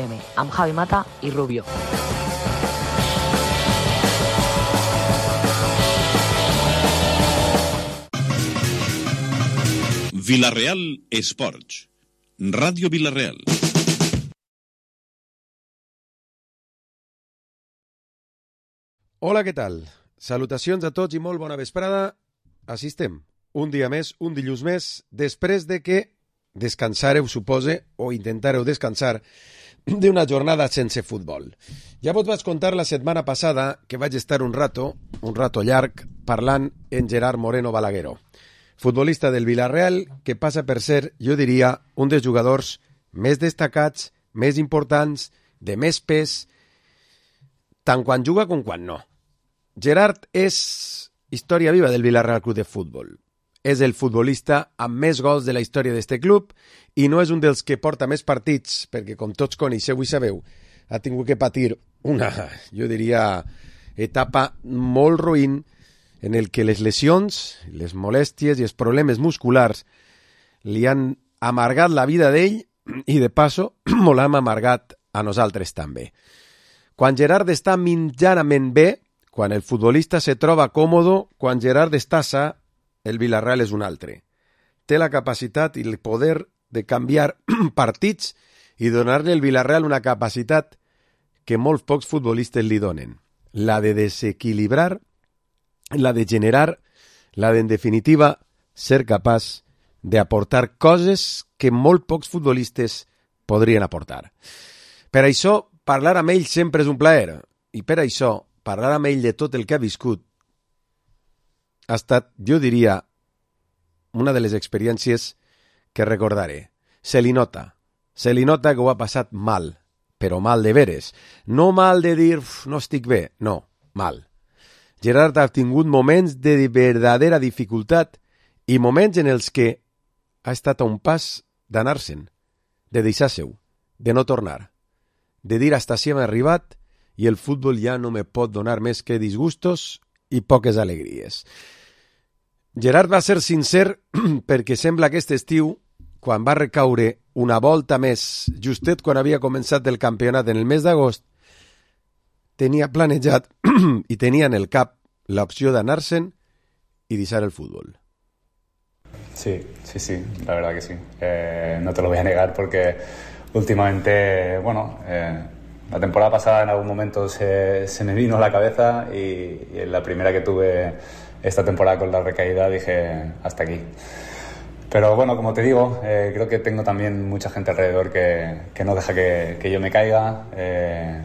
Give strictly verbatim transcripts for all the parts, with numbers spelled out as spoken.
amb Javi Mata i Rubio. Villarreal Esports, Ràdio Villarreal. Hola, què tal? Salutacions a tots i molt bona vesprada. Així estem, un dia més, un dilluns més, després de que descansareu, supose, o intentareu descansar d'una jornada sense futbol. Ja vos vaig contar la setmana passada que vaig estar un rato, un rato llarg, parlant en Gerard Moreno Balagueró, futbolista del Villarreal, que passa per ser, jo diria, un dels jugadors més destacats, més importants, de més pes, tant quan juga com quan no. Gerard és història viva del Villarreal Club de Futbol. És el futbolista amb més gols de la història d'este club i no és un dels que porta més partits, perquè com tots coneixeu i sabeu, ha tingut que patir una, jo diria, etapa molt roïn en el que les lesions, les molèsties i els problemes musculars li han amargat la vida d'ell i, de passo, molt l'hem amargat a nosaltres també. Quan Gerard està mitjanament bé, quan el futbolista se troba còmodo, quan Gerard està sa, el Villarreal és un altre. Té la capacitat i el poder de canviar partits i donar-li al Villarreal una capacitat que molts pocs futbolistes li donen. La de desequilibrar, la de generar, la de, en definitiva, ser capaç d'aportar coses que molt pocs futbolistes podrien aportar. Per això, parlar amb ell sempre és un plaer, i per això, parlar amb ell de tot el que ha viscut ha estat, jo diria, una de les experiències que recordaré. Se li nota, se li nota que ho ha passat mal, però mal de veres. No mal de dir, no estic bé, no, mal. Gerard ha tingut moments de verdadera dificultat i moments en els que ha estat a un pas d'anar-se'n, de deixar-se-ho, de no tornar, de dir hasta si hem arribat i el futbol ja no me pot donar més que disgustos i poques alegries. Gerard va ser sincer perquè sembla que aquest estiu, quan va recaure una volta més, justet quan havia començat el campionat en el mes d'agost, tenia planejat i tenia en el cap l'opció d'anar-se'n i deixar el fútbol. Sí, sí, sí, la verdad que sí. Eh, no te lo voy a negar porque últimamente, bueno, eh, la temporada pasada en algún momento se, se me vino a la cabeza y, y en la primera que tuve esta temporada con la recaída dije hasta aquí. Pero bueno, como te digo, eh, creo que tengo también mucha gente alrededor que, que no deja que, que yo me caiga. Eh,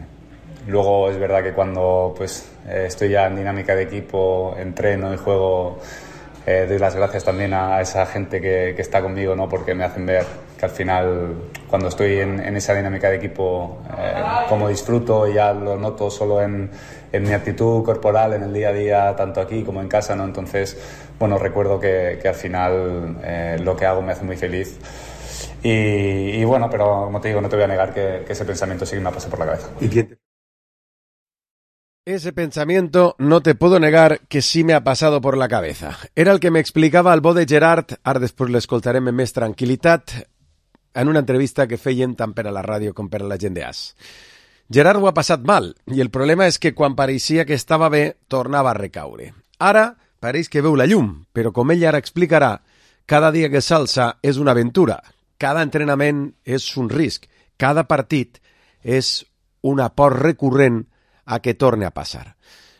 luego es verdad que cuando pues eh, estoy ya en dinámica de equipo, entreno y juego, eh, doy las gracias también a esa gente que, que está conmigo, ¿no? Porque me hacen ver que al final, cuando estoy en, en esa dinámica de equipo, eh, como disfruto, ya lo noto solo en, en mi actitud corporal, en el día a día, tanto aquí como en casa, ¿no? Entonces, bueno, recuerdo que, que al final eh, lo que hago me hace muy feliz. Y, y bueno, pero como te digo, no te voy a negar que, que ese pensamiento sí que me ha pasado por la cabeza. ¿Y quién te... Ese pensamiento no te puedo negar que sí me ha pasado por la cabeza. Era el que me explicava el bo de Gerard, ara després l'escoltarem amb més tranquil·litat, en una entrevista que feien tant per a la ràdio com per a la gent d'As. Gerard ho ha passat mal, i el problema és que quan pareixia que estava bé, tornava a recaure. Ara pareix que veu la llum, però com ell ara explicarà, cada dia que s'alça és una aventura, cada entrenament és un risc, cada partit és un aport recurrent a que torni a passar.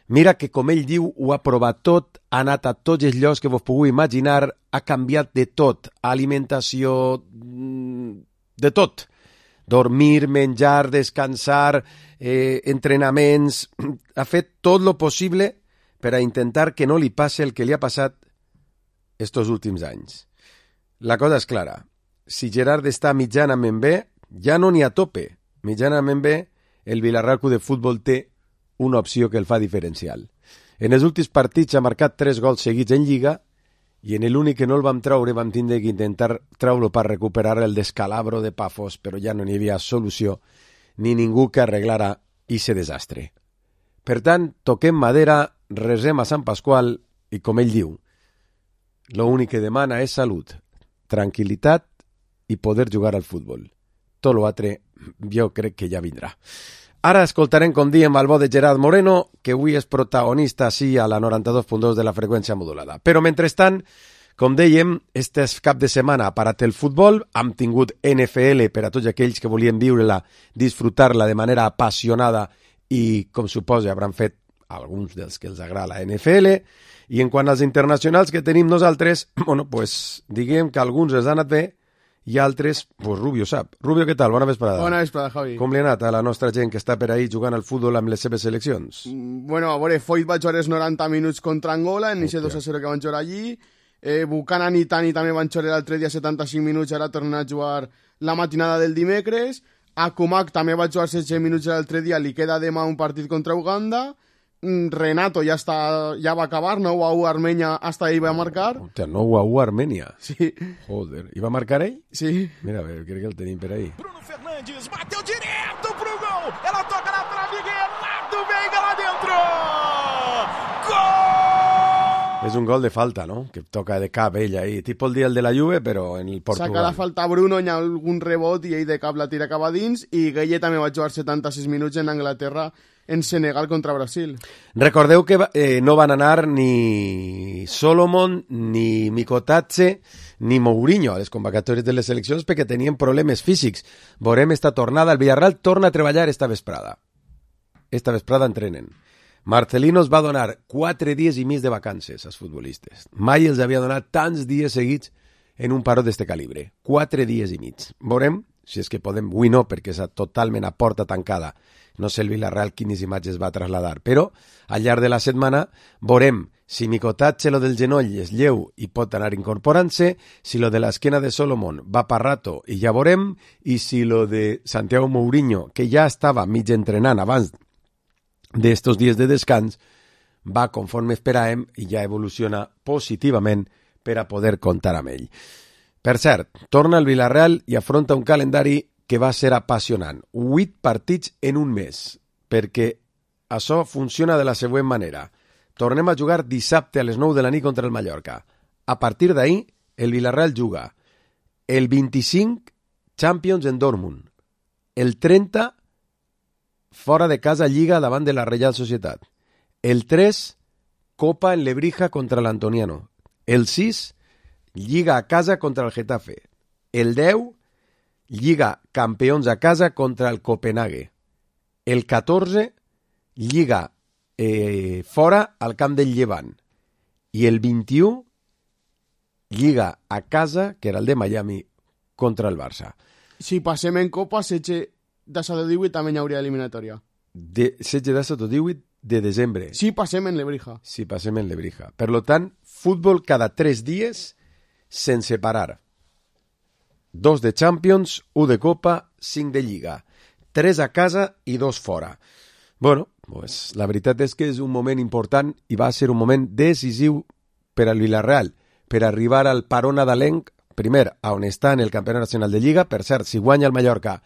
Mira que, com ell diu, ho ha provat tot, ha anat a tots els llocs que vos pugueu imaginar, ha canviat de tot, alimentació, de tot. Dormir, menjar, descansar, eh, entrenaments... Ha fet tot lo possible per a intentar que no li passi el que li ha passat estos últims anys. La cosa és clara. Si Gerard està mitjanament bé, ja no n'hi ha tope. Mitjanament bé, el Villarreal Club de Futbol té una opció que el fa diferencial. En els últims partits ha marcat tres gols seguits en Lliga i en l'únic que no el vam treure vam tindre que intentar treure-lo per recuperar el descalabro de Pafos, però ja no n'hi havia solució ni ningú que arreglara ese desastre. Per tant, toquem madera, resem a Sant Pasqual i, com ell diu, l'únic que demana és salut, tranquil·litat i poder jugar al futbol. tot l'altre jo crec que ja vindrà. Ara escoltarem, com diem, el bo de Gerard Moreno, que avui és protagonista sí a la noranta-dos punt dos de la freqüència modulada. Però, mentrestant, com dèiem, este cap de setmana ha parat el futbol, hem tingut N F L per a tots aquells que volien viure-la, disfrutar-la de manera apassionada i, com suposa, hauran fet alguns dels que els agrada la N F L, i en quant als internacionals que tenim nosaltres, bueno, pues, diguem que alguns els han anat bé i altres, pues Rubio sap. Rubio, què tal? Bona vesprada. Bona vesprada, Javi. Com li ha anat a la nostra gent que està per ahí jugant al futbol amb les seves seleccions? Mm, bueno, a veure, Foyt va jugar els noranta minuts contra Angola, en aquest dos a zero que van jugar allí. Eh, Buchanan i Tani també van jugar l'altre dia setanta-cinc minuts, ara tornen a jugar la matinada del dimecres. Akumak també va jugar setze minuts l'altre dia, li queda demà un partit contra Uganda. Renato ja està, ja va acabar, nou a u Armènia, hasta ahí va marcar. Hòstia, nou a u Armènia. Sí. Joder, i va marcar ell? Sí. Mira, a veure, crec que el tenim per ahí. Bruno Fernandes bateu direto pro gol. Ela toca na trave, Renato Veiga lá dentro. Gol! És un gol de falta, no? Que toca de cap ell ahí. Tipo el dia el de la Juve, però en el Portugal. Saca la falta a Bruno, hi ha algun rebot i ell de cap la tira cap a dins, i Gueye també va jugar setanta-sis minuts en Anglaterra en Senegal contra Brasil. Recordeu que eh, no van anar ni Solomon, ni Mikotatse, ni Mourinho a les convocatòries de les seleccions perquè tenien problemes físics. Veurem esta tornada. El Villarreal torna a treballar esta vesprada. Esta vesprada entrenen. Marcelino els va donar quatre dies i mig de vacances als futbolistes. Mai els havia donat tants dies seguits en un paró d'este calibre. Quatre dies i mig. Veurem si és que podem... Avui no, perquè és totalment a porta tancada. No sé el Villarreal quines imatges va traslladar, però al llarg de la setmana veurem si Mikotatse lo del genoll és lleu i pot anar incorporant-se, si lo de l'esquena de Solomon va per rato i ja veurem, i si lo de Santiago Mourinho, que ja estava mig entrenant abans d'estos dies de descans, va conforme esperàvem i ja evoluciona positivament per a poder comptar amb ell. Per cert, torna el Villarreal i afronta un calendari que va ser apassionant. Vuit partits en un mes, perquè això funciona de la següent manera. Tornem a jugar dissabte a les nou de la nit contra el Mallorca. A partir d'ahir, el Villarreal juga el vint-i-cinc Champions en Dortmund, el trenta fora de casa Lliga davant de la Reial Societat, el tres Copa en Lebrija contra l'Antoniano, el sis Lliga a casa contra el Getafe, el deu Lliga campions a casa contra el Copenhague. El catorze, Lliga eh, fora al camp del Llevant. I el vint-i-u, Lliga a casa, que era el de Miami, contra el Barça. Si passem en Copa, setze de sota divuit també hi hauria eliminatòria. De, setze de sota divuit de desembre. Si passem en Lebrija. Si passem en Lebrija. Per lo tant, futbol cada tres dies sense parar. Dos de Champions, un de Copa, cinc de Lliga. Tres a casa i dos fora. Bueno, pues, la veritat és que és un moment important i va ser un moment decisiu per al Villarreal, per arribar al paró nadalenc, primer, a on està en el Campionat Nacional de Lliga. Per cert, si guanya el Mallorca,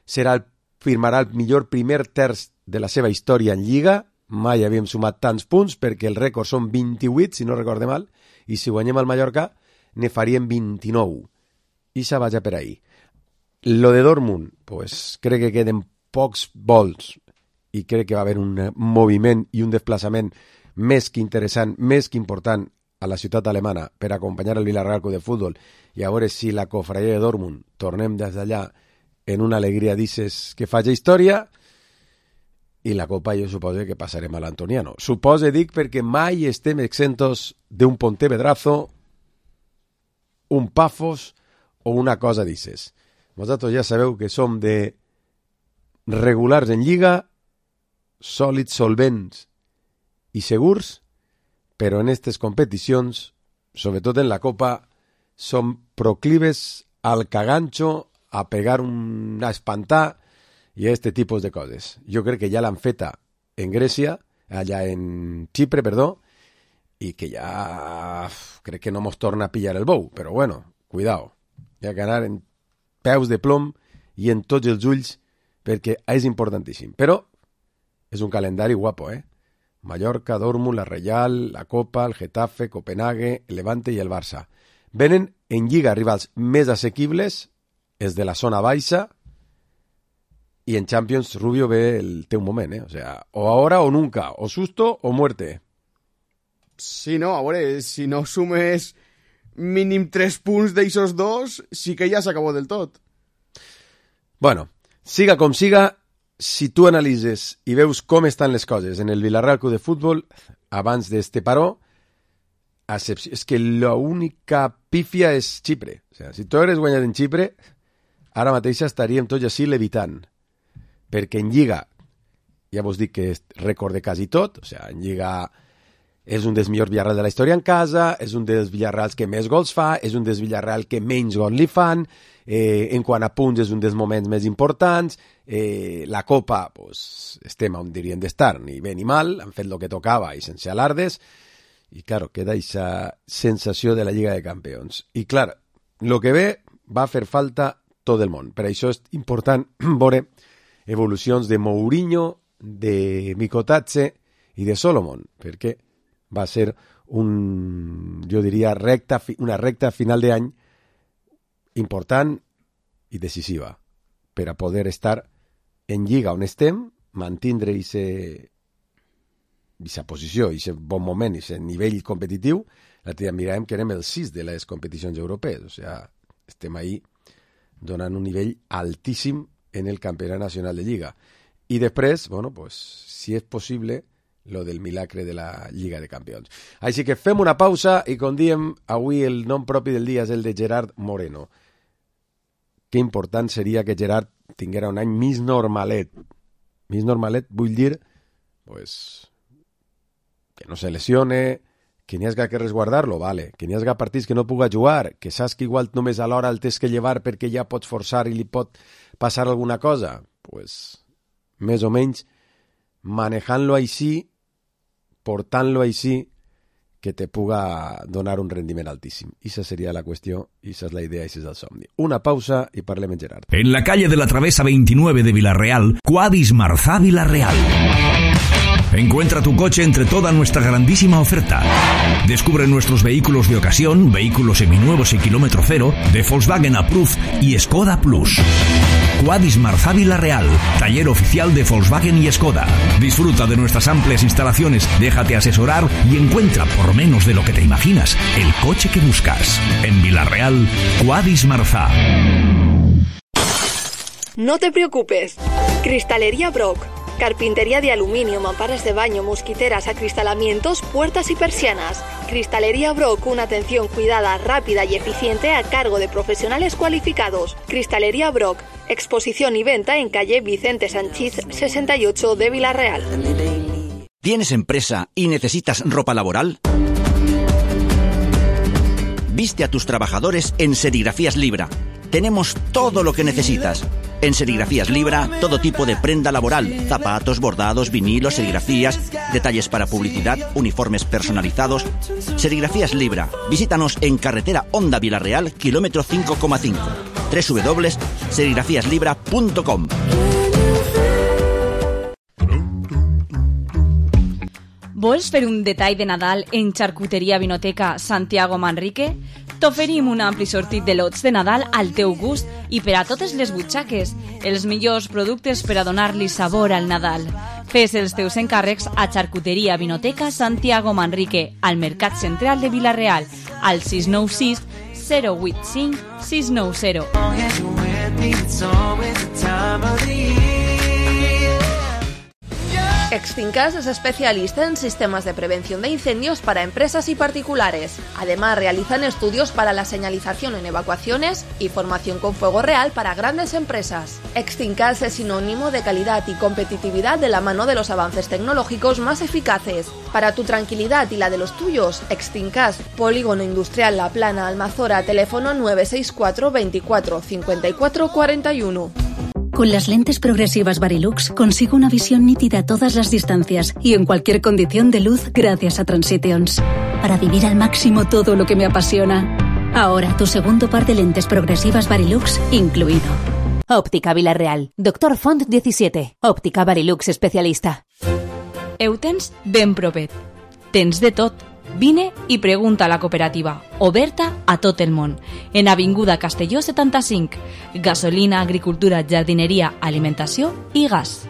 serà el, firmarà el millor primer terç de la seva història en Lliga. Mai havíem sumat tants punts, perquè el rècord són vint-i-vuit, si no recorde mal, i si guanyem el Mallorca, ne faríem vint-i-nou. I se vaja per ahí. Lo de Dortmund, pues crec que queden pocs vols i crec que va haver un moviment i un desplaçament més que interessant, més que important a la ciutat alemana per acompanyar el Villarreal Club de Futbol i a veure si la cofraia de Dortmund tornem des d'allà en una alegria d'isses que faci història i la Copa jo suposo que passarem a l'Antoniano. Suposo, dic, perquè mai estem exentos d'un Pontevedrazo, un Pafos o una cosa d'isses. Vosaltres ja sabeu que som de regulars en Lliga, sòlids, solvents i segurs, però en aquestes competicions, sobretot en la Copa, som proclives al cagancho, a pegar un... a espantar i a este tipus de coses. Jo crec que ja l'han feta en Grècia, allà en Xipre, perdó, i que ja crec que no mos torna a pillar el bou, però bueno, cuidao. Hi ha que anar en peus de plom i en tots els ulls perquè és importantíssim. Però és un calendari guapo, eh? Mallorca, Dortmund, la Reial, la Copa, el Getafe, Copenhague, el Levante i el Barça. Venen en Lliga rivals més assequibles, és de la zona baixa, y en Champions Rubio ve el teu moment, eh? O sea, o ahora o nunca, o susto o muerte. Sí, no, a veure, si no sumes mínim tres punts d'eixos dos, sí que ja s'acabó del tot. Bueno, siga com siga, si tu analitzes i veus com estan les coses en el Villarreal Club de Futbol abans d'este paró, és que l'única pífia és Xipre. O sea, si tu hagués guanyat en Xipre, ara mateix estaríem tots així levitant. Perquè en Lliga, ja vos dic que és rècord de quasi tot, o sea, en Lliga és un dels millors Villarreal de la història en casa, és un dels Villarreals que més gols fa, és un dels Villarreal que menys gols li fan, eh, en quant a punts és un dels moments més importants, eh, la Copa, pues, estem on dirien d'estar, ni bé ni mal, han fet el que tocava i sense alardes, i claro, queda aquesta sensació de la Lliga de Campions. I clar, el que ve va fer falta tot el món. Per això és important veure evolucions de Mourinho, de Mikotatse i de Solomon, perquè va ser un, jo diria, recta, una recta final d'any important i decisiva per a poder estar en Lliga on estem, mantindre aquesta posició, aquest bon moment, aquest nivell competitiu. L'altre dia miràvem que érem el sis de les competicions europees, o sigui, estem ahí donant un nivell altíssim en el campionat nacional de Lliga. I després, bueno, pues, si és possible, lo del milagre de la Lliga de Campions. Així que fem una pausa i, com diem, avui el nom propi del dia és el de Gerard Moreno. Que important seria que Gerard tinguera un any més normalet. Més normalet vull dir, pues, que no se lesione, que n'hi hagi que resguardar-lo, vale. Que n'hi hagi partits que no puga jugar, que saps que igual només a l'hora el tens que llevar perquè ja pots forçar i li pot passar alguna cosa. Pues, més o menys, manejant-lo així, portant-lo així, que te puga donar un rendiment altíssim. Esa seria la qüestió, esa és la idea, ese és el somni. Una pausa i parlem en Gerard. En la calle de la Travesa veintinueve de Villarreal, Quadis Marzá Villarreal. Encuentra tu coche entre toda nuestra grandísima oferta. Descubre nuestros vehículos de ocasión, vehículos seminuevos y kilómetro cero, de Volkswagen Approved y Skoda Plus. Quadis Marzá Villarreal, taller oficial de Volkswagen y Skoda. Disfruta de nuestras amplias instalaciones, déjate asesorar y encuentra, por menos de lo que te imaginas, el coche que buscas. En Villarreal, Quadis Marzá. No te preocupes. Cristalería Brock. Carpintería de aluminio, mamparas de baño, mosquiteras, acristalamientos, puertas y persianas. Cristalería Brock, una atención cuidada, rápida y eficiente a cargo de profesionales cualificados. Cristalería Brock, exposición y venta en calle Vicente Sanchís sesenta y ocho de Villarreal. ¿Tienes empresa y necesitas ropa laboral? Viste a tus trabajadores en Serigrafías Libra. Tenemos todo lo que necesitas. En Serigrafías Libra, todo tipo de prenda laboral, zapatos, bordados, vinilos, serigrafías, detalles para publicidad, uniformes personalizados. Serigrafías Libra. Visítanos en carretera Honda Villarreal, kilómetro cinco coma cinco. doble u doble u doble u punto serigrafías libra punto com. Vols fer un detall de Nadal en Xarcuteria Vinoteca Santiago Manrique? T'oferim un ampli sortit de lots de Nadal al teu gust i per a totes les butxaques, els millors productes per a donar-li sabor al Nadal. Fes els teus encàrrecs a Xarcuteria Vinoteca Santiago Manrique, al Mercat Central de Villarreal, al sis nou sis zero vuit cinc sis nou zero. Extincas es especialista en sistemas de prevención de incendios para empresas y particulares. Además, realizan estudios para la señalización en evacuaciones y formación con fuego real para grandes empresas. Extincas es sinónimo de calidad y competitividad de la mano de los avances tecnológicos más eficaces. Para tu tranquilidad y la de los tuyos, Extincas, Polígono Industrial La Plana, Almazora, teléfono nueve seis cuatro veinticuatro cincuenta y cuatro cuarenta y uno. Con las lentes progresivas Varilux consigo una visión nítida a todas las distancias y en cualquier condición de luz gracias a Transitions, para vivir al máximo todo lo que me apasiona. Ahora tu segundo par de lentes progresivas Varilux incluido. Óptica Villarreal. Doctor Font diecisiete. Óptica Varilux especialista. Heu tens ben propet. Tens de tot. Vine i pregunta a la cooperativa, oberta a tot el món, en Avinguda Castelló setanta-cinc. Gasolina, agricultura, jardineria, alimentació i gas.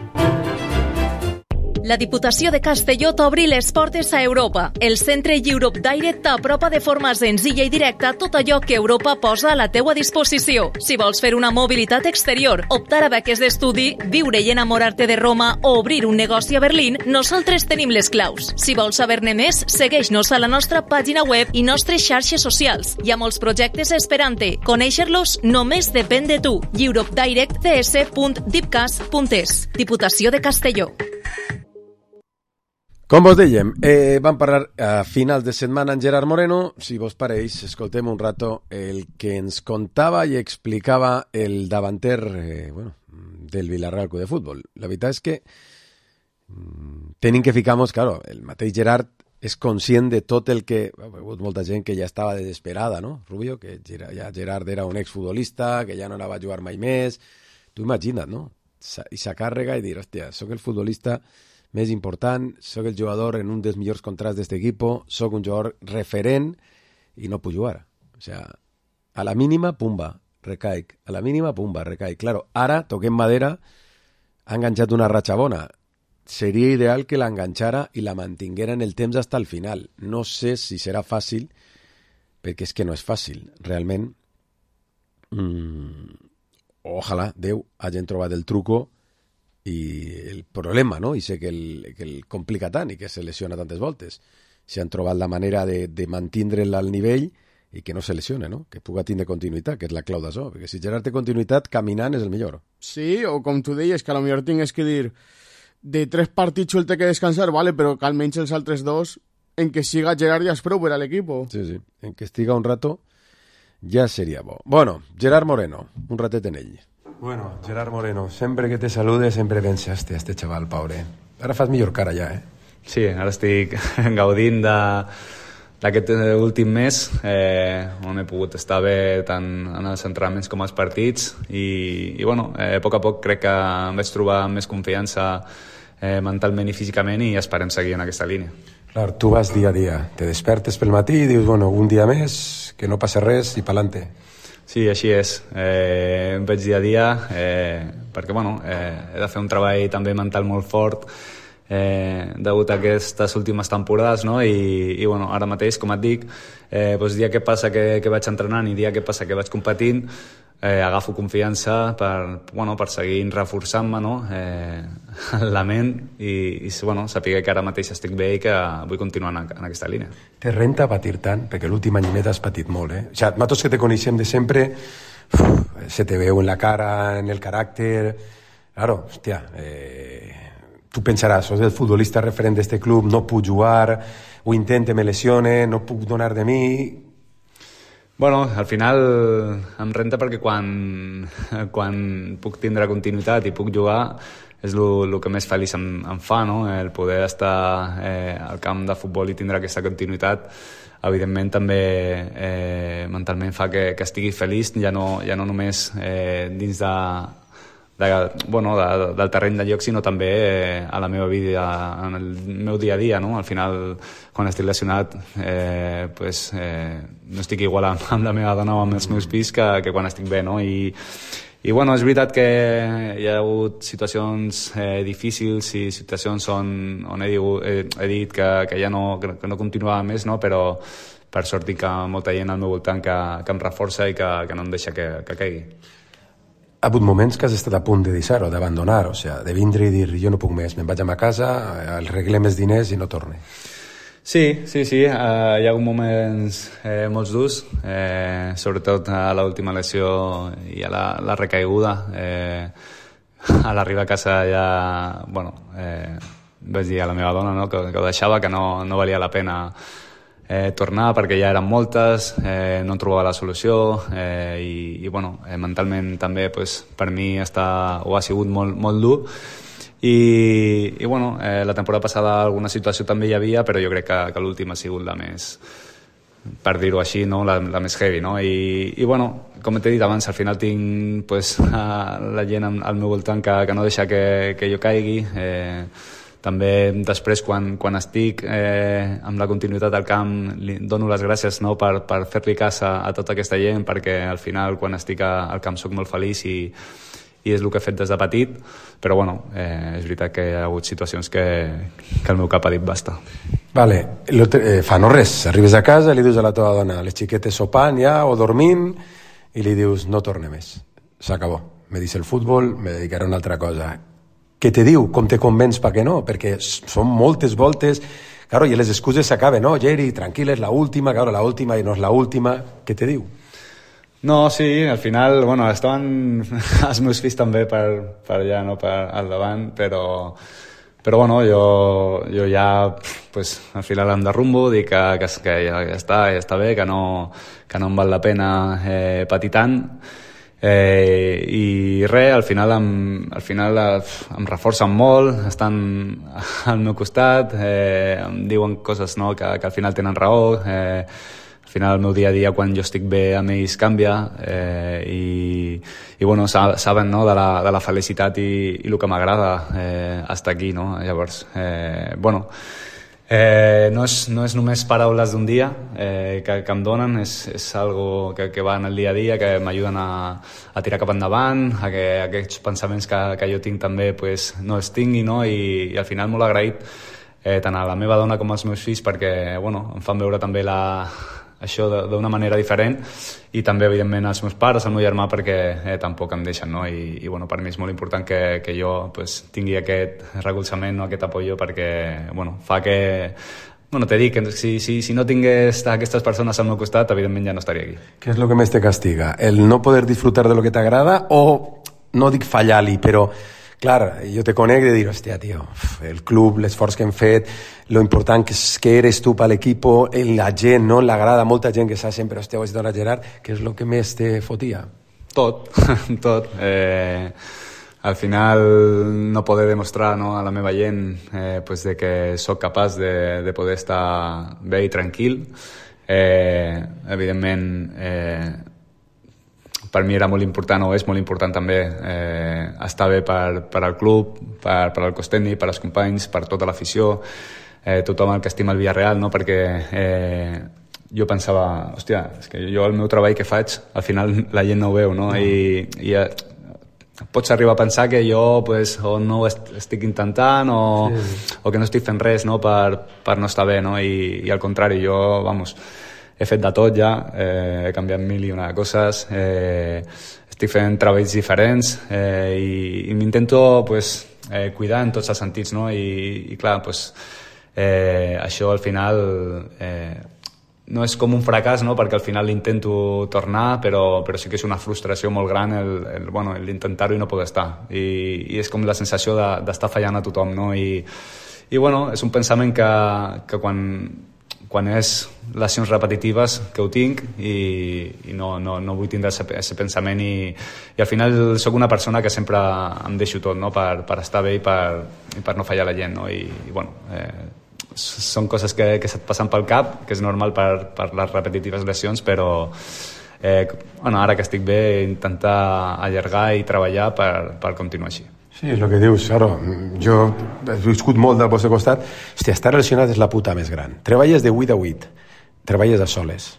La Diputació de Castelló t'obri les portes a Europa. El centre Europe Direct t'apropa de forma senzilla i directa tot allò que Europa posa a la teua disposició. Si vols fer una mobilitat exterior, optar a beques d'estudi, viure i enamorar-te de Roma o obrir un negoci a Berlín, nosaltres tenim les claus. Si vols saber-ne més, segueix-nos a la nostra pàgina web i nostres xarxes socials. Hi ha molts projectes esperant-te. Conèixer-los només depèn de tu. europe direct c s punt dipcas punt es. Diputació de Castelló. Com vos dèiem, eh, vam parlar a finals de setmana amb Gerard Moreno. Si vos pareix, escoltem un rato el que ens contava i explicava el davanter eh, bueno, del Villarreal Club de Futbol. La veritat és que mm, tenim que ficar-nos, claro, el mateix Gerard és conscient de tot el que... Ha hagut molta gent que ja estava desesperada, no, Rubio? Que ja Gerard era un exfutbolista, que ja no anava a jugar mai més. Tu imagina't, no? I sa càrrega i dir, hòstia, soc el futbolista més important, sóc el jugador en un dels millors contrats d'aquest equip, sóc un jugador referent i no puc jugar. O sea, a la mínima, pumba, recaic. A la mínima, pumba, recaic. Claro, ara, toquem madera, ha enganxat una ratxa bona. Seria ideal que l'enganxara i la mantinguera en el temps hasta el final. No sé si serà fàcil, perquè és que no és fàcil. Realment, mmm, ojalà, Déu, hagin trobat el truco i el problema, no? I sé que el, que el complica tant i que se lesiona tantes voltes. Si han trobat la manera de, de mantindre'l al nivell i que no se lesione, no? Que puga tindre continuïtat, que és la clau d'això. Perquè si Gerard té continuïtat, caminant és el millor. Sí, o com tu deies, que a lo millor tingués que dir de tres partits el té que descansar, vale, però que almenys els altres dos en que siga Gerard ja és prou per a l'equip. Sí, sí, en que estiga un rato ja seria bo. Bueno, Gerard Moreno, un ratet en ell. Bueno, Gerard Moreno, sempre que te salude sempre pensaste a este chaval, pobre. Ara fas millor cara ja, eh? Sí, ara estic gaudint d'aquest últim mes, eh, on he pogut estar bé tant en els entrenaments com als partits i, i bueno, eh, a poc a poc crec que em vaig trobar amb més confiança eh, mentalment i físicament i esperem seguir en aquesta línia. Clar, tu vas dia a dia, te despertes pel matí i dius, bueno, un dia més, que no passa res i pa'lante. Sí, així és. Eh, em veig dia a dia eh, perquè bueno, eh, he de fer un treball també mental molt fort eh, degut a aquestes últimes temporades, no? I, i bueno, ara mateix, com et dic, eh, doncs dia que passa que, que vaig entrenant i dia que passa que vaig competint, eh, agafo confiança per, bueno, per seguir reforçant-me, no? eh, la ment i, i bueno, saber que ara mateix estic bé i que vull continuar en, en aquesta línia. Te renta patir tant? Perquè l'últim anyet has patit molt, eh? O sea, nosaltres que te coneixem de sempre, uf, se te veu en la cara, en el caràcter... Claro, hòstia, eh, tu pensaràs, soc el futbolista referent d'este club, no puc jugar, ho intente, me lesione, no puc donar de mi... Bueno, al final em renta perquè quan, quan puc tindre continuïtat i puc jugar és el que més feliç em, em fa, no? El poder estar eh, al camp de futbol i tindre aquesta continuïtat, evidentment també eh, mentalment fa que, que estigui feliç, ja no, ja no només eh, dins de, de, bueno, de, del terreny de lloc, sinó també eh, a la meva vida, en el meu dia a dia, no? Al final, quan estic lesionat, eh, pues, eh, no estic igual amb, amb la meva dona o amb els meus fills que, que quan estic bé, no? I, i bueno, és veritat que hi ha hagut situacions eh, difícils i situacions on, on he, diu, he, he dit que, que ja no, que no continuava més, no? Però per sort tinc molta gent al meu voltant que, que em reforça i que, que no em deixa que, que caigui. Ha hagut moments que has estat a punt de deixar-ho, d'abandonar, o sigui, de vindre i dir jo no puc més, me'n vaig a ma casa, arreglem els diners i no torne. Sí, sí, sí, uh, hi ha hagut moments eh, molt durs, eh, sobretot a l'última lesió i a la, la recaiguda. Eh, a l'arribar a casa ja, bueno, eh, vaig dir a la meva dona, no, que, que ho deixava, que no, no valia la pena eh, tornar perquè ja eren moltes, eh, no trobava la solució eh, i, i bueno, eh, mentalment també pues, per mi està, ho ha sigut molt, molt dur. I, i bueno, eh, la temporada passada alguna situació també hi havia, però jo crec que, que l'última ha sigut la més, per dir-ho així, no? la, la més heavy, no? I, i bueno, com t'he dit abans, al final tinc pues, la gent al meu voltant que, que no deixa que, que jo caigui, eh, també després quan, quan estic eh, amb la continuïtat del camp li dono les gràcies, no, per, per fer-li cas a, a tota aquesta gent, perquè al final quan estic a, al camp soc molt feliç i, i és el que he fet des de petit, però bueno, eh, és veritat que hi ha hagut situacions que, que el meu cap ha dit basta. Vale, lo te, eh, fa no res, arribes a casa i li dius a la teva dona, les xiquetes sopant ja o dormint, i li dius no torne més, s'acabó, me dice el futbol, me dedicaré a una altra cosa. Què te diu? Com te convenç perquè no? Perquè són moltes voltes, claro, i les excuses s'acaben, no, Geri, tranquil, és la última, claro, la última i no és la última, què te diu? No, sí, al final, bueno, estaven els meus fills també per, per allà, no, per al davant, però, però bueno, jo, jo ja, pues, al final em derrumbo, dic que, que, que ja, ja està, ja està bé, que no, que no em val la pena eh, patir tant, eh, i res, al final, em, al final em reforcen molt, estan al meu costat, eh, em diuen coses, no, que, que al final tenen raó, eh, al final el meu dia a dia quan jo estic bé amb ells canvia, eh, i, i bueno, saben, no, de, la, de la felicitat i, i el que m'agrada eh, estar aquí, no? Llavors, eh, bueno, eh, no, és, no és només paraules d'un dia eh, que, que em donen, és, és algo que, que va en el dia a dia, que m'ajuden a, a tirar cap endavant, a que aquests pensaments que, que jo tinc també pues, no els tingui, no? I, i al final molt agraït eh, tant a la meva dona com als meus fills perquè bueno, em fan veure també la això d'una manera diferent i també evidentment als meus pares, al meu germà perquè eh, tampoc em deixen, no? I, i bueno, per mi és molt important que, que jo pues, tingui aquest recolzament, no? Aquest apoyo perquè bueno, fa que bueno, te dic que si, si, si no tingués aquestes persones al meu costat evidentment ja no estaria aquí. Què és el que més te castiga? El no poder disfrutar de lo que t'agrada o no dic fallar-li, però clar, jo te conec de dir, hòstia, tio, el club, l'esforç que hem fet, lo important que, és, que eres tu per l'equip, la gent, no? L'agrada molta gent que s'ha sempre, hòstia, ho has dit a Gerard, què és el que més te fotia? Tot, tot. Eh, al final no poder demostrar, no, a la meva gent eh, pues de que sóc capaç de, de poder estar bé i tranquil. Eh, evidentment, eh, per mi era molt important, o és molt important també, eh, estar bé per, per al club, per, per al cos tècnic, per als companys, per tota l'afició, eh, tothom el que estima el Villarreal, no? Perquè eh, jo pensava, hòstia, és que jo el meu treball que faig, al final la gent no ho veu, no? I, i eh, pots arribar a pensar que jo pues, o no ho estic intentant o, sí. o que no estic fent res, no? per, per no estar bé, no? I, i al contrari, jo, vamos, he fet de tot ja, eh, he canviat mil i una coses, eh, estic fent treballs diferents eh, i, i m'intento pues, eh, cuidar en tots els sentits, no? I, i clar, pues, eh, això al final eh, no és com un fracàs, no? Perquè al final intento tornar, però, però sí que és una frustració molt gran el, el, bueno, l'intentar-ho i no poder estar. I, i és com la sensació d'estar de, fallant a tothom, no? I, i bueno, és un pensament que, que quan quan és lesions repetitives que ho tinc i, i no, no, no vull tindre aquest pensament i, i al final sóc una persona que sempre em deixo tot, no? per, per estar bé i per, i per no fallar la gent, no? I, i bueno, eh, són coses que, que se't passen pel cap, que és normal per, per les repetitives lesions, però eh, bueno, ara que estic bé intentar allargar i treballar per, per continuar així. Sí, és el que dius, claro. Jo he viscut molt del vostre costat. Hòstia, estar lesionat és la puta més gran. Treballes de vuit a vuit, treballes a soles.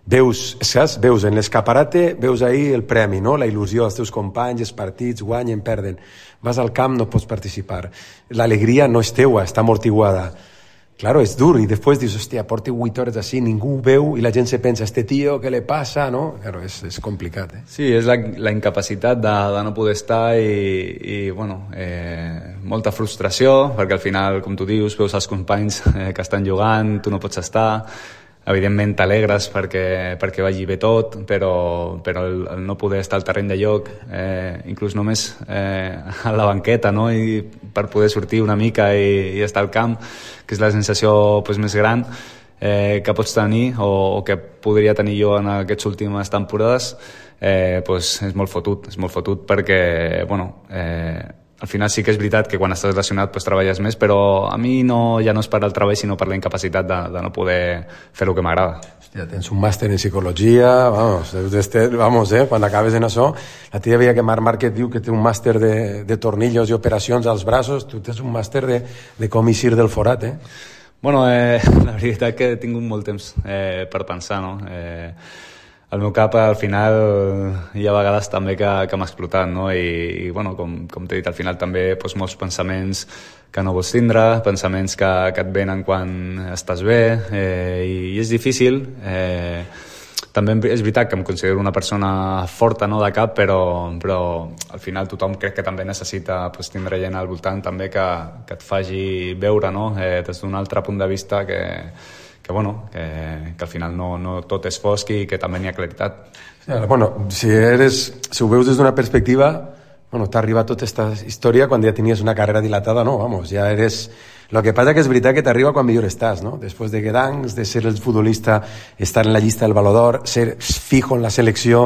Veus, saps? Veus en l'escaparate, veus ahir el premi, no? La il·lusió dels teus companys, els partits, guanyen, perden. Vas al camp, no pots participar. L'alegria no és teua, està amortiguada. Claro, és dur, i després dius, hòstia, porti vuit hores així, ningú ho veu, i la gent se pensa, este tío, què le passa, no? Claro, és, és complicat, eh? Sí, és la, la incapacitat de, de no poder estar i, i bueno, eh, molta frustració, perquè al final, com tu dius, veus els companys eh, que estan jugant, tu no pots estar, evidentment t'alegres perquè, perquè vagi bé tot, però, però el, el no poder estar al terreny de lloc, eh, inclús només eh, a la banqueta, no? I per poder sortir una mica i, i estar al camp, que és la sensació pues, més gran eh, que pots tenir o, o que podria tenir jo en aquestes últimes temporades, eh, pues, és molt fotut, és molt fotut perquè, bueno, eh, al final sí que és veritat que quan estàs lesionat pues, treballes més, però a mi no, ja no és per el treball sinó per la incapacitat de, de no poder fer el que m'agrada. Hòstia, tens un màster en psicologia, vamos, este, vamos, eh, quan acabes en això, la tia veia que Marc Márquez diu que té un màster de, de tornillos i operacions als braços, tu tens un màster de, de com eixir del forat, eh? Bueno, eh, la veritat que he tingut molt temps eh, per pensar, no? Eh, el meu cap al final hi ha vegades també que, que m'ha explotat, no? I, i bueno, com, com t'he dit, al final també doncs, molts pensaments que no vols tindre, pensaments que, que et venen quan estàs bé, eh, i, i és difícil. Eh, també és veritat que em considero una persona forta, no, de cap, però, però al final tothom crec que també necessita pues, tindre gent al voltant també que, que et faci veure, no? eh, des d'un altre punt de vista que, que, bueno, que, que al final no, no tot és fosc i que també n'hi ha claritat. Bueno, si, eres, si ho veus des d'una perspectiva, bueno, t'ha arribat tota aquesta història quan ja tenies una carrera dilatada, no, vamos, ja eres... Lo que pasa que és veritat que t'arriba quan millor estàs, ¿no? Després de Guedancs, de ser el futbolista, estar en la llista del Balló d'Or, ser fijo en la selecció...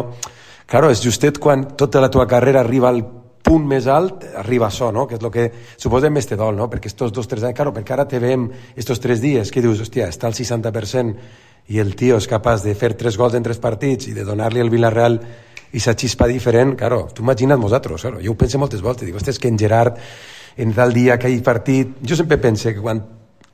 Claro, és justet quan tota la teva carrera arriba al punt més alt, arriba això, no? Que és el que suposa més te dol, no? Perquè estos dos, tres anys, claro, perquè ara te veiem estos tres dies, que dius, hòstia, està al seixanta per cent i el tio és capaç de fer tres gols en tres partits i de donar-li al Villarreal i sa xispa diferent, claro, tu imagina't nosaltres, claro, jo ho penso moltes voltes, dic, ostres, que en Gerard en tal dia, aquell partit... Jo sempre pense que quan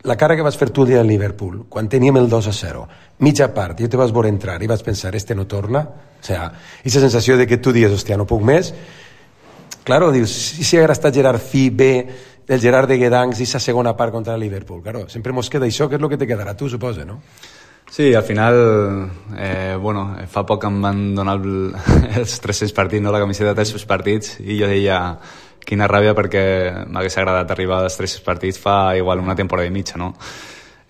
la cara que vas fer tu el dia del Liverpool, quan teníem el dos a zero, mitja part, jo te vas veure entrar i vas pensar, este no torna, o sea, aquesta sensació de que tu dius, hòstia, no puc més, claro, dius, si si haguera estat Gerard fi bé, el Gerard de Guedancs i sa segona part contra el Liverpool, claro, sempre mos queda això, que és el que te quedarà tu, suposa, no? Sí, al final, eh, bueno, fa poc em van donar el, els tres-cents partits, no? La camiseta de tres-cents partits, i jo deia... Quina ràbia perquè m'hagués agradat arribar als tres partits fa igual una temporada i mitja, no?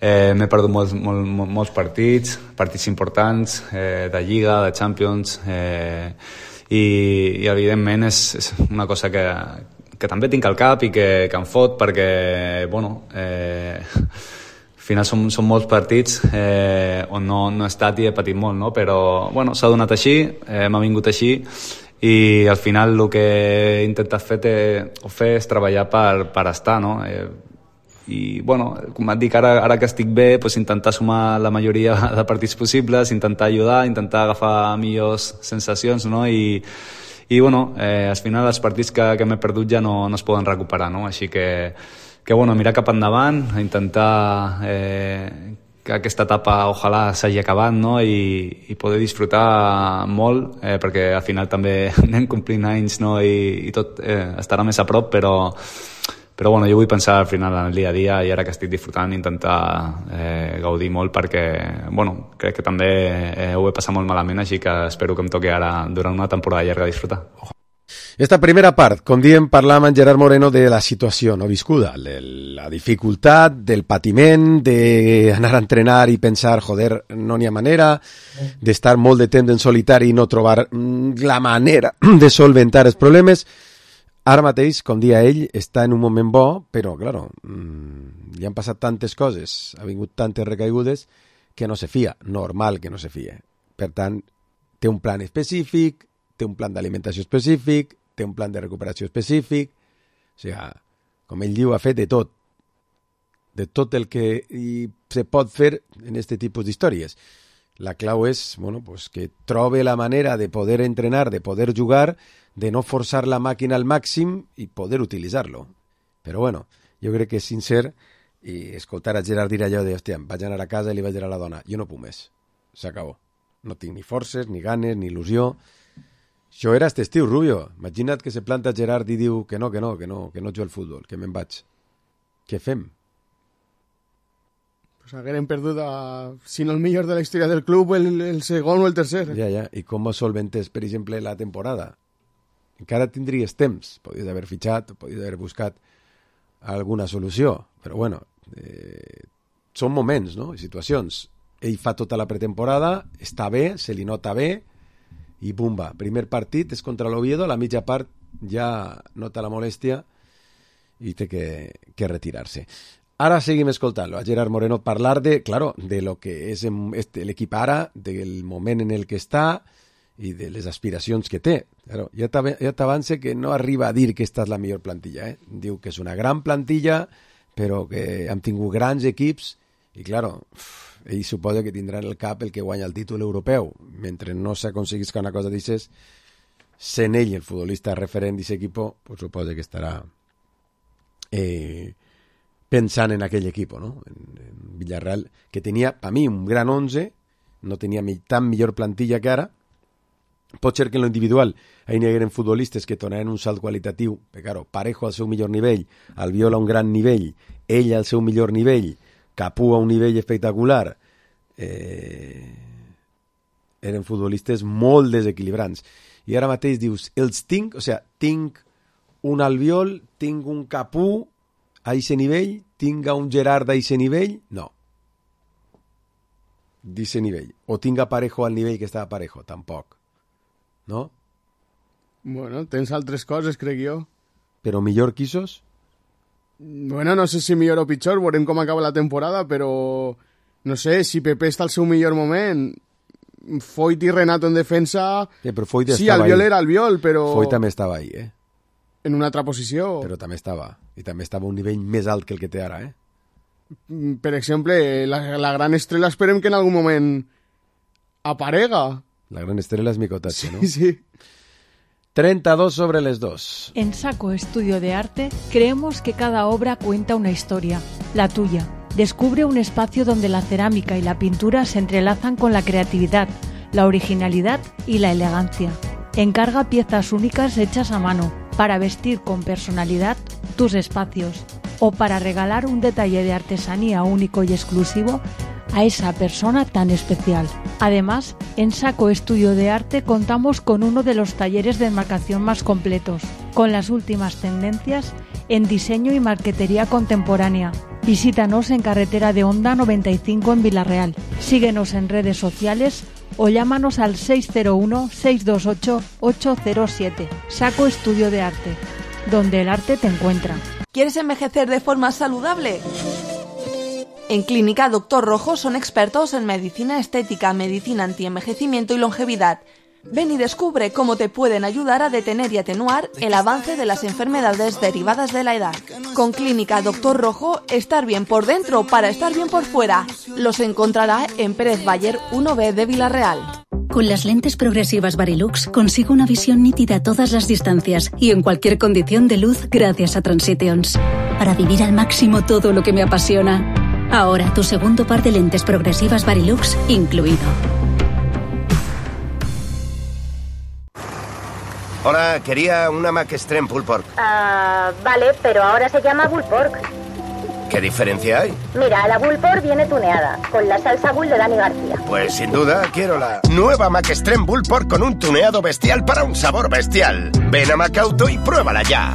Eh, m'he perdut molts, molts, molts partits, partits importants, eh, de Lliga, de Champions, eh, i, i evidentment és, és una cosa que, que també tinc al cap i que, que em fot perquè, bueno, eh, al final són, són molts partits eh, on no, no he estat i he patit molt, no? Però, bueno, s'ha donat així, eh, m'ha vingut així, i al final el que he intentat fer, te, o fer és treballar per, per estar, no? Eh, I, bueno, com et dic, ara, ara que estic bé, pues, intentar sumar la majoria de partits possibles, intentar ajudar, intentar agafar millors sensacions, no? I, i bueno, eh, al final els partits que, que m'he perdut ja no, no es poden recuperar, no? Així que, que bueno, mirar cap endavant, intentar... Eh, que aquesta etapa ojalà s'hagi acabat, no? I, i poder disfrutar molt, eh, perquè al final també anem complint anys, no? I, i tot eh, estarà més a prop, però, però bueno, jo vull pensar al final en el dia a dia i ara que estic disfrutant intentar eh, gaudir molt perquè, bueno, crec que també eh, ho he passat molt malament, així que espero que em toqui ara durant una temporada llarga disfrutar. Esta primera part, com diem, parlàvem amb Gerard Moreno de la situació no viscuda, de la dificultat, del patiment, d'anar a entrenar i pensar, joder, no n'hi ha manera, d'estar molt de temps en solitari i no trobar la manera de solventar els problemes. Ara mateix, com dia ell, està en un moment bo, però, claro, mmm, li han passat tantes coses, ha vingut tantes recaigudes, que no se fia, normal que no se fie. Per tant, té un plan específic, té un plan d'alimentació específic, té un plan de recuperació específic, o sigui, com ell diu, ha fet de tot, de tot el que hi se pot fer en aquest tipus d'històries. La clau és, bueno, pues que trobe la manera de poder entrenar, de poder jugar, de no forçar la màquina al màxim i poder utilitzar-lo. Però bueno, jo crec que és sincer i escoltar a Gerard dir allò de, hòstia, vaig anar a casa i li vaig dir a la dona, jo no puc més, s'acabó. No tinc ni forces, ni ganes, ni il·lusió. Això era este estiu, Rubio. Imagina't que se planta Gerard i diu que no, que no, que no, que no jugo al futbol, que me'n vaig. Què fem? Pues haguérem perdut, a, si no el millor de la història del club, el, el segon o el tercer. Ja, ja. I com solventes, per exemple, la temporada? Encara tindries temps. Podries haver fitxat, podries haver buscat alguna solució. Però, bueno, eh, són moments, no? Situacions. Ell fa tota la pretemporada, està bé, se li nota bé, i bumba, primer partit és contra l'Oviedo, la mitja part ja nota la molèstia i té que, que retirar-se. Ara seguim escoltant-lo, a Gerard Moreno parlar de, claro, de lo que és l'equip ara, del moment en el que està i de les aspiracions que té. Claro, ja t'avance que no arriba a dir que esta és la millor plantilla. Eh? Diu que és una gran plantilla, però que hem tingut grans equips i, claro, ell suposa que tindrà en el cap el que guanya el títol europeu. Mentre no s'aconseguisca una cosa d'aixes, sent ell el futbolista referent d'aquest equip, pues suposa que estarà eh, pensant en aquell equip, no? En, en Villarreal, que tenia, per mi, un gran onze, no tenia tan millor plantilla que ara. Pot ser que en lo individual hi hagueren futbolistes que donaran un salt qualitatiu, però claro, Parejo al seu millor nivell, Albiol a un gran nivell, ell al seu millor nivell, Capú a un nivell espectacular, eh, eren futbolistes molt desequilibrants. I ara mateix dius, els tinc, o sigui, tinc un Albiol, tinc un Capú a aquest nivell, tinc un Gerard a aquest nivell, no. D'aquest nivell. O tinc a Parejo al nivell que estava Parejo, tampoc. No? Bueno, tens altres coses, crec jo. Però millor que esos? Bueno, no sé si millor o pitjor, veurem com acaba la temporada, però no sé, si Pepe està al seu millor moment, Foyt i Renato en defensa... Sí, però Foyt sí, Albiol era Albiol, però... Foyt també estava ahí, eh? En una altra posició. Però també estava. I també estava a un nivell més alt que el que té ara, eh? Per exemple, la, la gran estrella esperem que en algun moment aparega. La gran estrella es mi cotache, ¿no? Sí, sí. treinta y dos sobre les dos. En Saco Estudio de Arte creemos que cada obra cuenta una historia, la tuya. Descubre un espacio donde la cerámica y la pintura se entrelazan con la creatividad, la originalidad y la elegancia. Encarga piezas únicas hechas a mano para vestir con personalidad tus espacios o para regalar un detalle de artesanía único y exclusivo a esa persona tan especial. Además, en Saco Estudio de Arte contamos con uno de los talleres de enmarcación más completos, con las últimas tendencias en diseño y marquetería contemporánea. Visítanos en Carretera de Honda noventa y cinco en Villarreal. Síguenos en redes sociales o llámanos al seis cero uno, seis dos ocho, ocho cero siete. Saco Estudio de Arte, donde el arte te encuentra. ¿Quieres envejecer de forma saludable? En Clínica Doctor Rojo son expertos en medicina estética, medicina antienvejecimiento y longevidad. Ven y descubre cómo te pueden ayudar a detener y atenuar el avance de las enfermedades derivadas de la edad. Con Clínica Doctor Rojo, estar bien por dentro para estar bien por fuera. Los encontrará en Pérez Bayer uno B de Villarreal. Con las lentes progresivas Varilux consigo una visión nítida a todas las distancias y en cualquier condición de luz gracias a Transitions. Para vivir al máximo todo lo que me apasiona. Ahora tu segundo par de lentes progresivas Varilux incluido. Hola, quería una Mac Extreme Pulled Pork. Ah, vale, pero ahora se llama Bull Pork. ¿Qué diferencia hay? Mira, la Bull Pork viene tuneada, con la salsa Bull de Dani García. Pues sin duda quiero la nueva Mac Extreme Bull Pork con un tuneado bestial para un sabor bestial. Ven a Macauto y pruébala ya.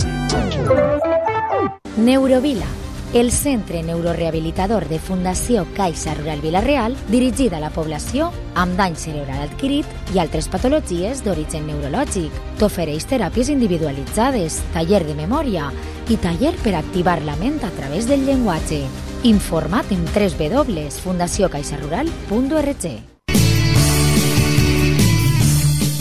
Neurovila, el centre neurorehabilitador de Fundació Caixa Rural Vila-real, dirigida a la població amb dany cerebral adquirit i altres patologies d'origen neurològic. T'ofereix teràpies individualitzades, taller de memòria i taller per activar la ment a través del llenguatge. Informa't en w w w punt fundació caixa rural punt org.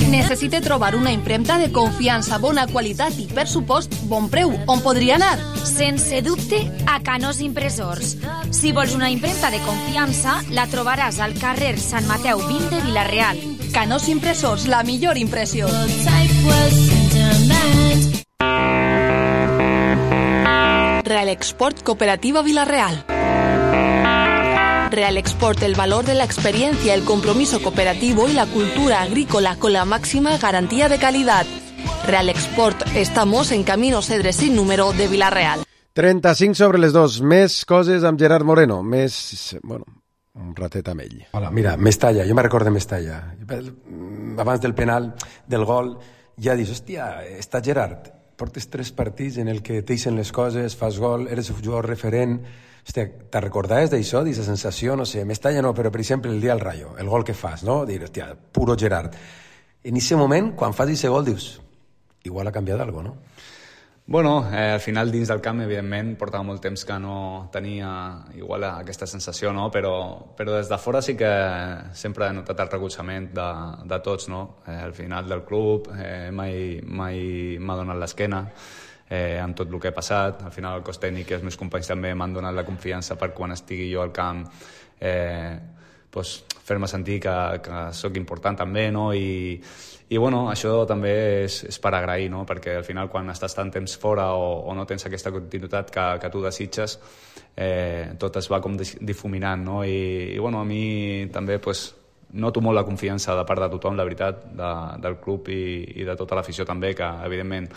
Necessite trobar una impremta de confiança, bona qualitat i, per supost, bon preu. On podria anar? Sense dubte, a Canós Impressors. Si vols una impremta de confiança, la trobaràs al carrer Sant Mateu vint de Vila-real. Canós Impressors, la millor impressió. Real Export Cooperativa Vila-real. Real Export, el valor de la experiencia, el compromiso cooperativo y la cultura agrícola con la máxima garantía de calidad. Real Export, estamos en Camino Cedre sin número de Vila-real. trenta-cinc sobre les dos. Més coses amb Gerard Moreno. Més, bueno, un ratet amb ell. Hola, mira, Mestalla, jo me recordo de Mestalla. Abans del penal, del gol, ja dius, hòstia, està Gerard. Portes tres partits en el que t'eixen les coses, fas gol, eres un jugador referent. Hòstia, te recordaves d'això, d'aquesta sensació? No sé, Mestalla no, però per exemple el dia del Rayo, el gol que fas, no? Dir, hòstia, puro Gerard. En aquest moment, quan fas aquest gol, dius, igual ha canviat alguna cosa, no? Bueno, eh, al final dins del camp, evidentment, portava molt temps que no tenia igual aquesta sensació, no? Però, però des de fora sí que sempre he notat el recolzament de, de tots, no? Eh, al final del club eh, mai, mai m'ha donat l'esquena eh, amb tot el que ha passat. Al final el cos tècnic i els meus companys també m'han donat la confiança per quan estigui jo al camp eh, pues, fer-me sentir que, que sóc important també, no? I, i bueno, això també és, és per agrair, no? Perquè al final quan estàs tant temps fora o, o no tens aquesta continuïtat que, que tu desitges, eh, tot es va com difuminant, no? I, i bueno, a mi també pues, noto molt la confiança de part de tothom, la veritat, de, del club i, i de tota l'afició també, que evidentment,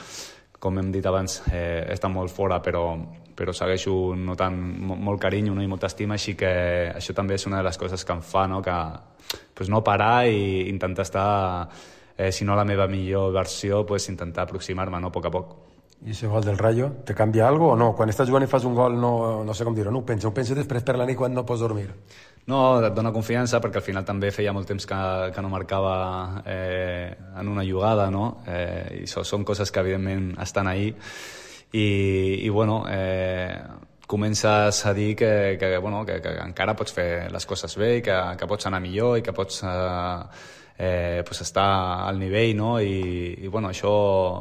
com hem dit abans, eh, està molt fora, però, però segueixo notant molt carinyo, no? I molta estima, així que això també és una de les coses que em fa, no? Que pues, no parar i intentar estar... Eh, si no la meva millor versió, pues, intentar aproximar-me, no? A poc a poc. I ese gol del Rayo, te canvia algo o no? Quan estàs jugant i fas un gol, no, no sé com dir-ho, no ho penses, ho penses després per la nit quan no pots dormir? No, et dona confiança perquè al final també feia molt temps que, que no marcava eh, en una jugada, no? Eh, I so, són coses que evidentment estan ahí i, i bueno, eh, comences a dir que, que, bueno, que, que encara pots fer les coses bé i que, que pots anar millor i que pots... Eh, Eh, pues està al nivell, no? I, i bueno, això,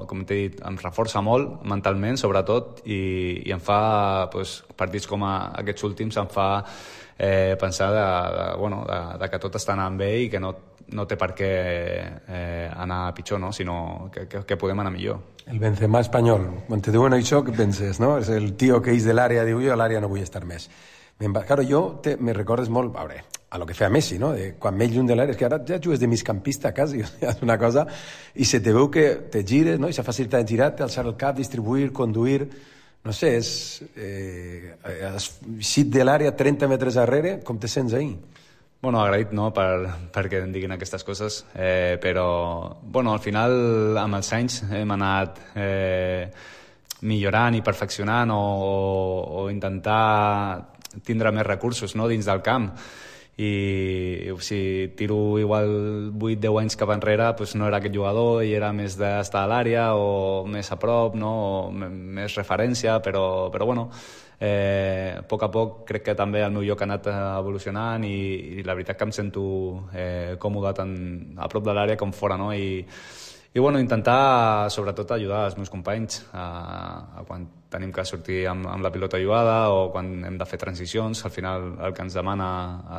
com t'he dit, em reforça molt mentalment, sobretot, i, i em fa, pues, partits com a, aquests últims, em fa eh, pensar de, de, bueno, de, de que tot està anant bé i que no, no té per què eh, anar pitjor, no? Sinó que, que, que podem anar millor. El Benzema espanyol, quan te diuen això, què penses, no? És el tio que és de l'àrea, diu jo a l'àrea no vull estar més. Claro, jo te, me recordes molt, a veure, a lo que feia Messi, no? De, quan més lluny de l'àrea, és que ara ja jugues de migcampista quasi, és una cosa, i se te veu que te gires, no? I s'ha facilitat de girar-te, alçar el cap, distribuir, conduir, no sé, és... Eh, has eixit de l'àrea trenta metres darrere, com te sents ahí? Bueno, agraït, no?, per, perquè em diguin aquestes coses, eh, però, bueno, al final, amb els anys hem anat... Eh, millorant i perfeccionant o, o, o intentar tindre més recursos, no?, dins del camp. I si tiro igual vuit deu anys cap enrere, pues no era aquest jugador i era més d'estar a l'àrea o més a prop, no?, o més referència, però, però bueno, eh, a poc a poc crec que també el meu lloc ha anat evolucionant i, i la veritat que em sento eh, còmode tant a prop de l'àrea com fora, no?, i I bueno, intentar sobretot ajudar els meus companys a, a quan tenim que sortir amb, amb la pilota jugada o quan hem de fer transicions. Al final el que ens demana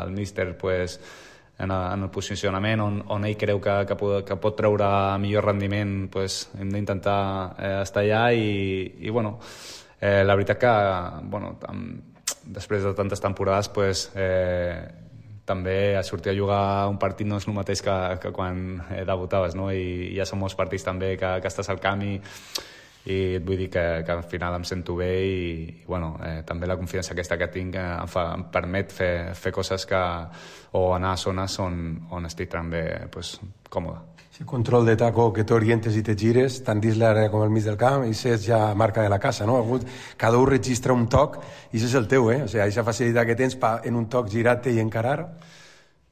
el míster pues, en, en el posicionament on, on ell creu que, que, pot, que pot treure millor rendiment, pues, hem d'intentar eh, estar allà i, i bueno, eh, la veritat que bueno, amb, després de tantes temporades pues, eh, també a sortir a jugar un partit no és el mateix que, que quan eh, debutaves, no? I ja són molts partits també que, que estàs al camp i, i et vull dir que, que al final em sento bé i, i bueno, eh, també la confiança aquesta que tinc eh, em, fa, em permet fer, fer coses que, o anar a zones on, on estic també pues, còmode. Si control de taco que t'orientes i te gires, tant dins l'àrea com al mig del camp, i és ja marca de la casa, no? Cada un registra un toc i això és el teu, eh? O sigui, aquesta facilitat que tens pa, en un toc girar-te i encarar.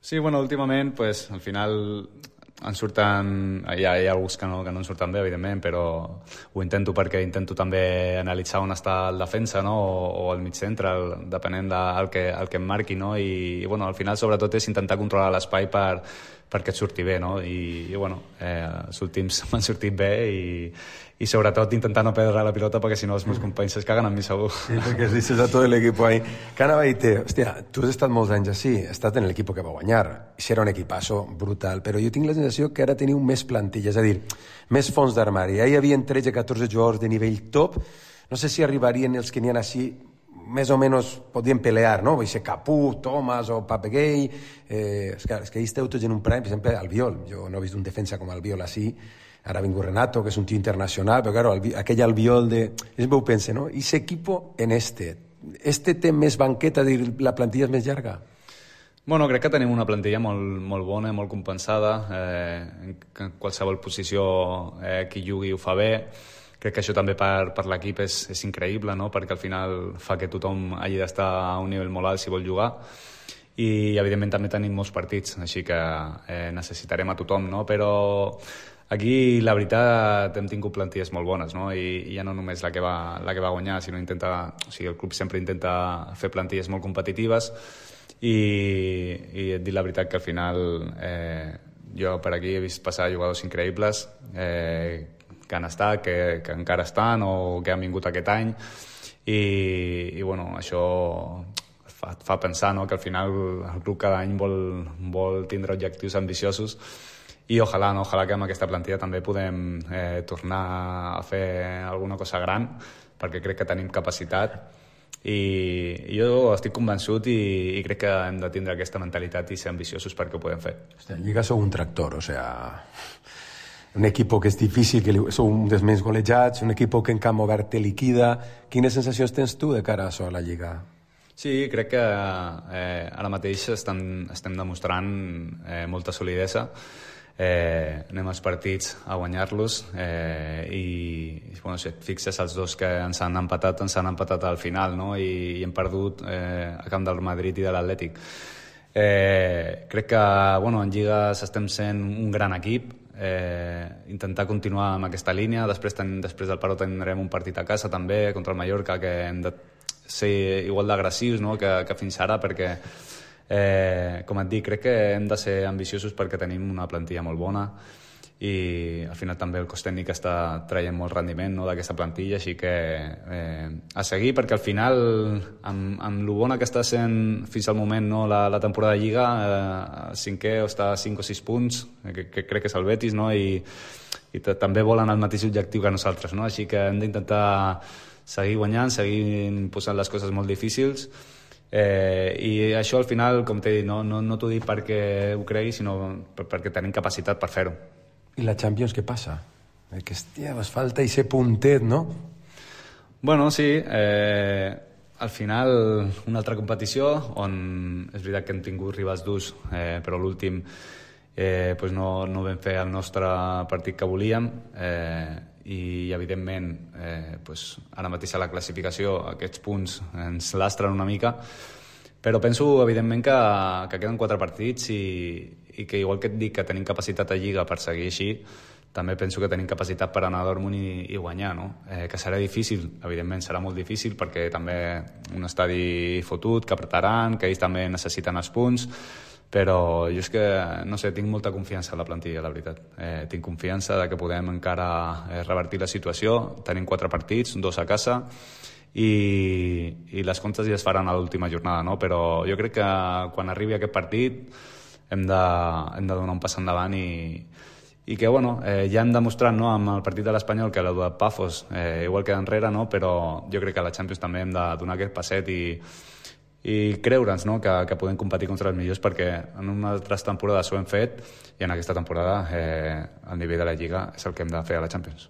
Sí, bueno, últimament, pues, al final en surten... Hi ha, hi ha alguns que no, que no en surten bé, evidentment, però ho intento perquè intento també analitzar on està el defensa, no? O, o el mig centre, el, depenent del que, el que em marqui, no? I, i bueno, al final, sobretot, és intentar controlar l'espai per perquè et surti bé, no? I, i bueno, eh, els últims m'han sortit bé i, i sobretot intentar no perdre la pilota perquè si no els meus companys es caguen amb mi segur. Sí, perquè es dices a tot l'equip ahí. Cana Baite, hòstia, tu has estat molts anys així, has estat en l'equip que va guanyar, i si era un equipasso brutal, però jo tinc la sensació que ara teniu més plantilla, és a dir, més fons d'armari. Ahir hi havia tretze catorze jugadors de nivell top, no sé si arribarien els que n'hi ha així, més o menys podien pelear, no? Vull ser Capú, Thomas o Papegay, eh, és que, és que ahir esteu tots en un prime, per exemple, Albiol, jo no he vist un defensa com Albiol així, ara ha vingut Renato, que és un tio internacional, però claro, aquell Albiol de... És meu pense, no? I ese equipo en este, este té més banqueta, dir, la plantilla és més llarga? Bueno, crec que tenim una plantilla molt, molt bona, molt compensada, eh, en qualsevol posició eh, qui jugui ho fa bé. Crec que això també per, per l'equip és, és increïble, no? Perquè al final fa que tothom hagi d'estar a un nivell molt alt si vol jugar i evidentment també tenim molts partits, així que eh, necessitarem a tothom, no? Però Aquí, la veritat, hem tingut plantilles molt bones, no? I, i ja no només la que, va, la que va guanyar, sinó intenta... O sigui, el club sempre intenta fer plantilles molt competitives i, i et dic la veritat que al final eh, jo per aquí he vist passar jugadors increïbles eh, que han estat, que, que encara estan o que han vingut aquest any i, i bueno, això fa, fa pensar, no?, que al final el club cada any vol, vol tindre objectius ambiciosos i ojalà, no? Ojalà que amb aquesta plantilla també podem eh, tornar a fer alguna cosa gran, perquè crec que tenim capacitat i, i jo estic convençut i, i crec que hem de tindre aquesta mentalitat i ser ambiciosos perquè ho podem fer. Hòstia, en Lliga sou un tractor, o sea, un equipo que és difícil, que sou un dels més golejats, un equipo que en camp obert te liquida. Quines sensacions tens tu de cara a això a la Lliga? Sí, crec que eh, ara mateix estem, estem demostrant eh, molta solidesa. Eh, anem als partits a guanyar-los eh, i bueno, si et fixes els dos que ens han empatat ens han empatat al final, no? I, i hem perdut eh, a camp del Madrid i de l'Atlètic. Eh, crec que bueno, en Lligues estem sent un gran equip, eh, intentar continuar amb aquesta línia, després, ten, després del paró tindrem un partit a casa també contra el Mallorca que hem de ser igual d'agressius, no?, que, que fins ara, perquè Eh, com et dic, crec que hem de ser ambiciosos perquè tenim una plantilla molt bona i al final també el cos tècnic està traient molt rendiment, no?, d'aquesta plantilla, així que eh, a seguir, perquè al final amb, amb lo bona que està sent fins al moment, no?, la, la temporada de Lliga, eh, cinquè o està a cinc o sis punts, que, que crec que és el Betis, no?, i, i també volen el mateix objectiu que nosaltres, no?, així que hem d'intentar seguir guanyant, seguir posant les coses molt difícils. Eh, i això al final, com t'he dit, no, no, no t'ho dic perquè ho cregui, sinó per, perquè tenim capacitat per fer-ho. I la Champions què passa? Que hòstia, ens falta ese puntet, no? Bueno, sí, eh, al final una altra competició on és veritat que hem tingut rivals durs, eh, però l'últim eh, pues no, no vam fer el nostre partit que volíem, eh, i evidentment eh, pues, ara mateix a la classificació aquests punts ens lastren una mica, però penso evidentment que, que queden quatre partits i, i que igual que et dic que tenim capacitat a Lliga per seguir així, també penso que tenim capacitat per anar a Dortmund i, i guanyar, no? Eh, que serà difícil, evidentment serà molt difícil perquè també un estadi fotut, que apretaran, que ells també necessiten els punts, però jo és que, no sé, tinc molta confiança en la plantilla, la veritat. Eh, tinc confiança de que podem encara eh, revertir la situació. Tenim quatre partits, dos a casa, i, i les comptes ja es faran a l'última jornada, no? Però jo crec que quan arribi aquest partit hem de, hem de donar un pas endavant i, i que, bueno, eh, ja hem demostrat, no?, amb el partit de l'Espanyol que la de Pafos eh, igual queda enrere, no?, però jo crec que a la Champions també hem de donar aquest passet i i creure'ns, no?, que, que podem competir contra els millors, perquè en unes altres temporades ho hem fet i en aquesta temporada eh, el nivell de la Lliga és el que hem de fer a la Champions.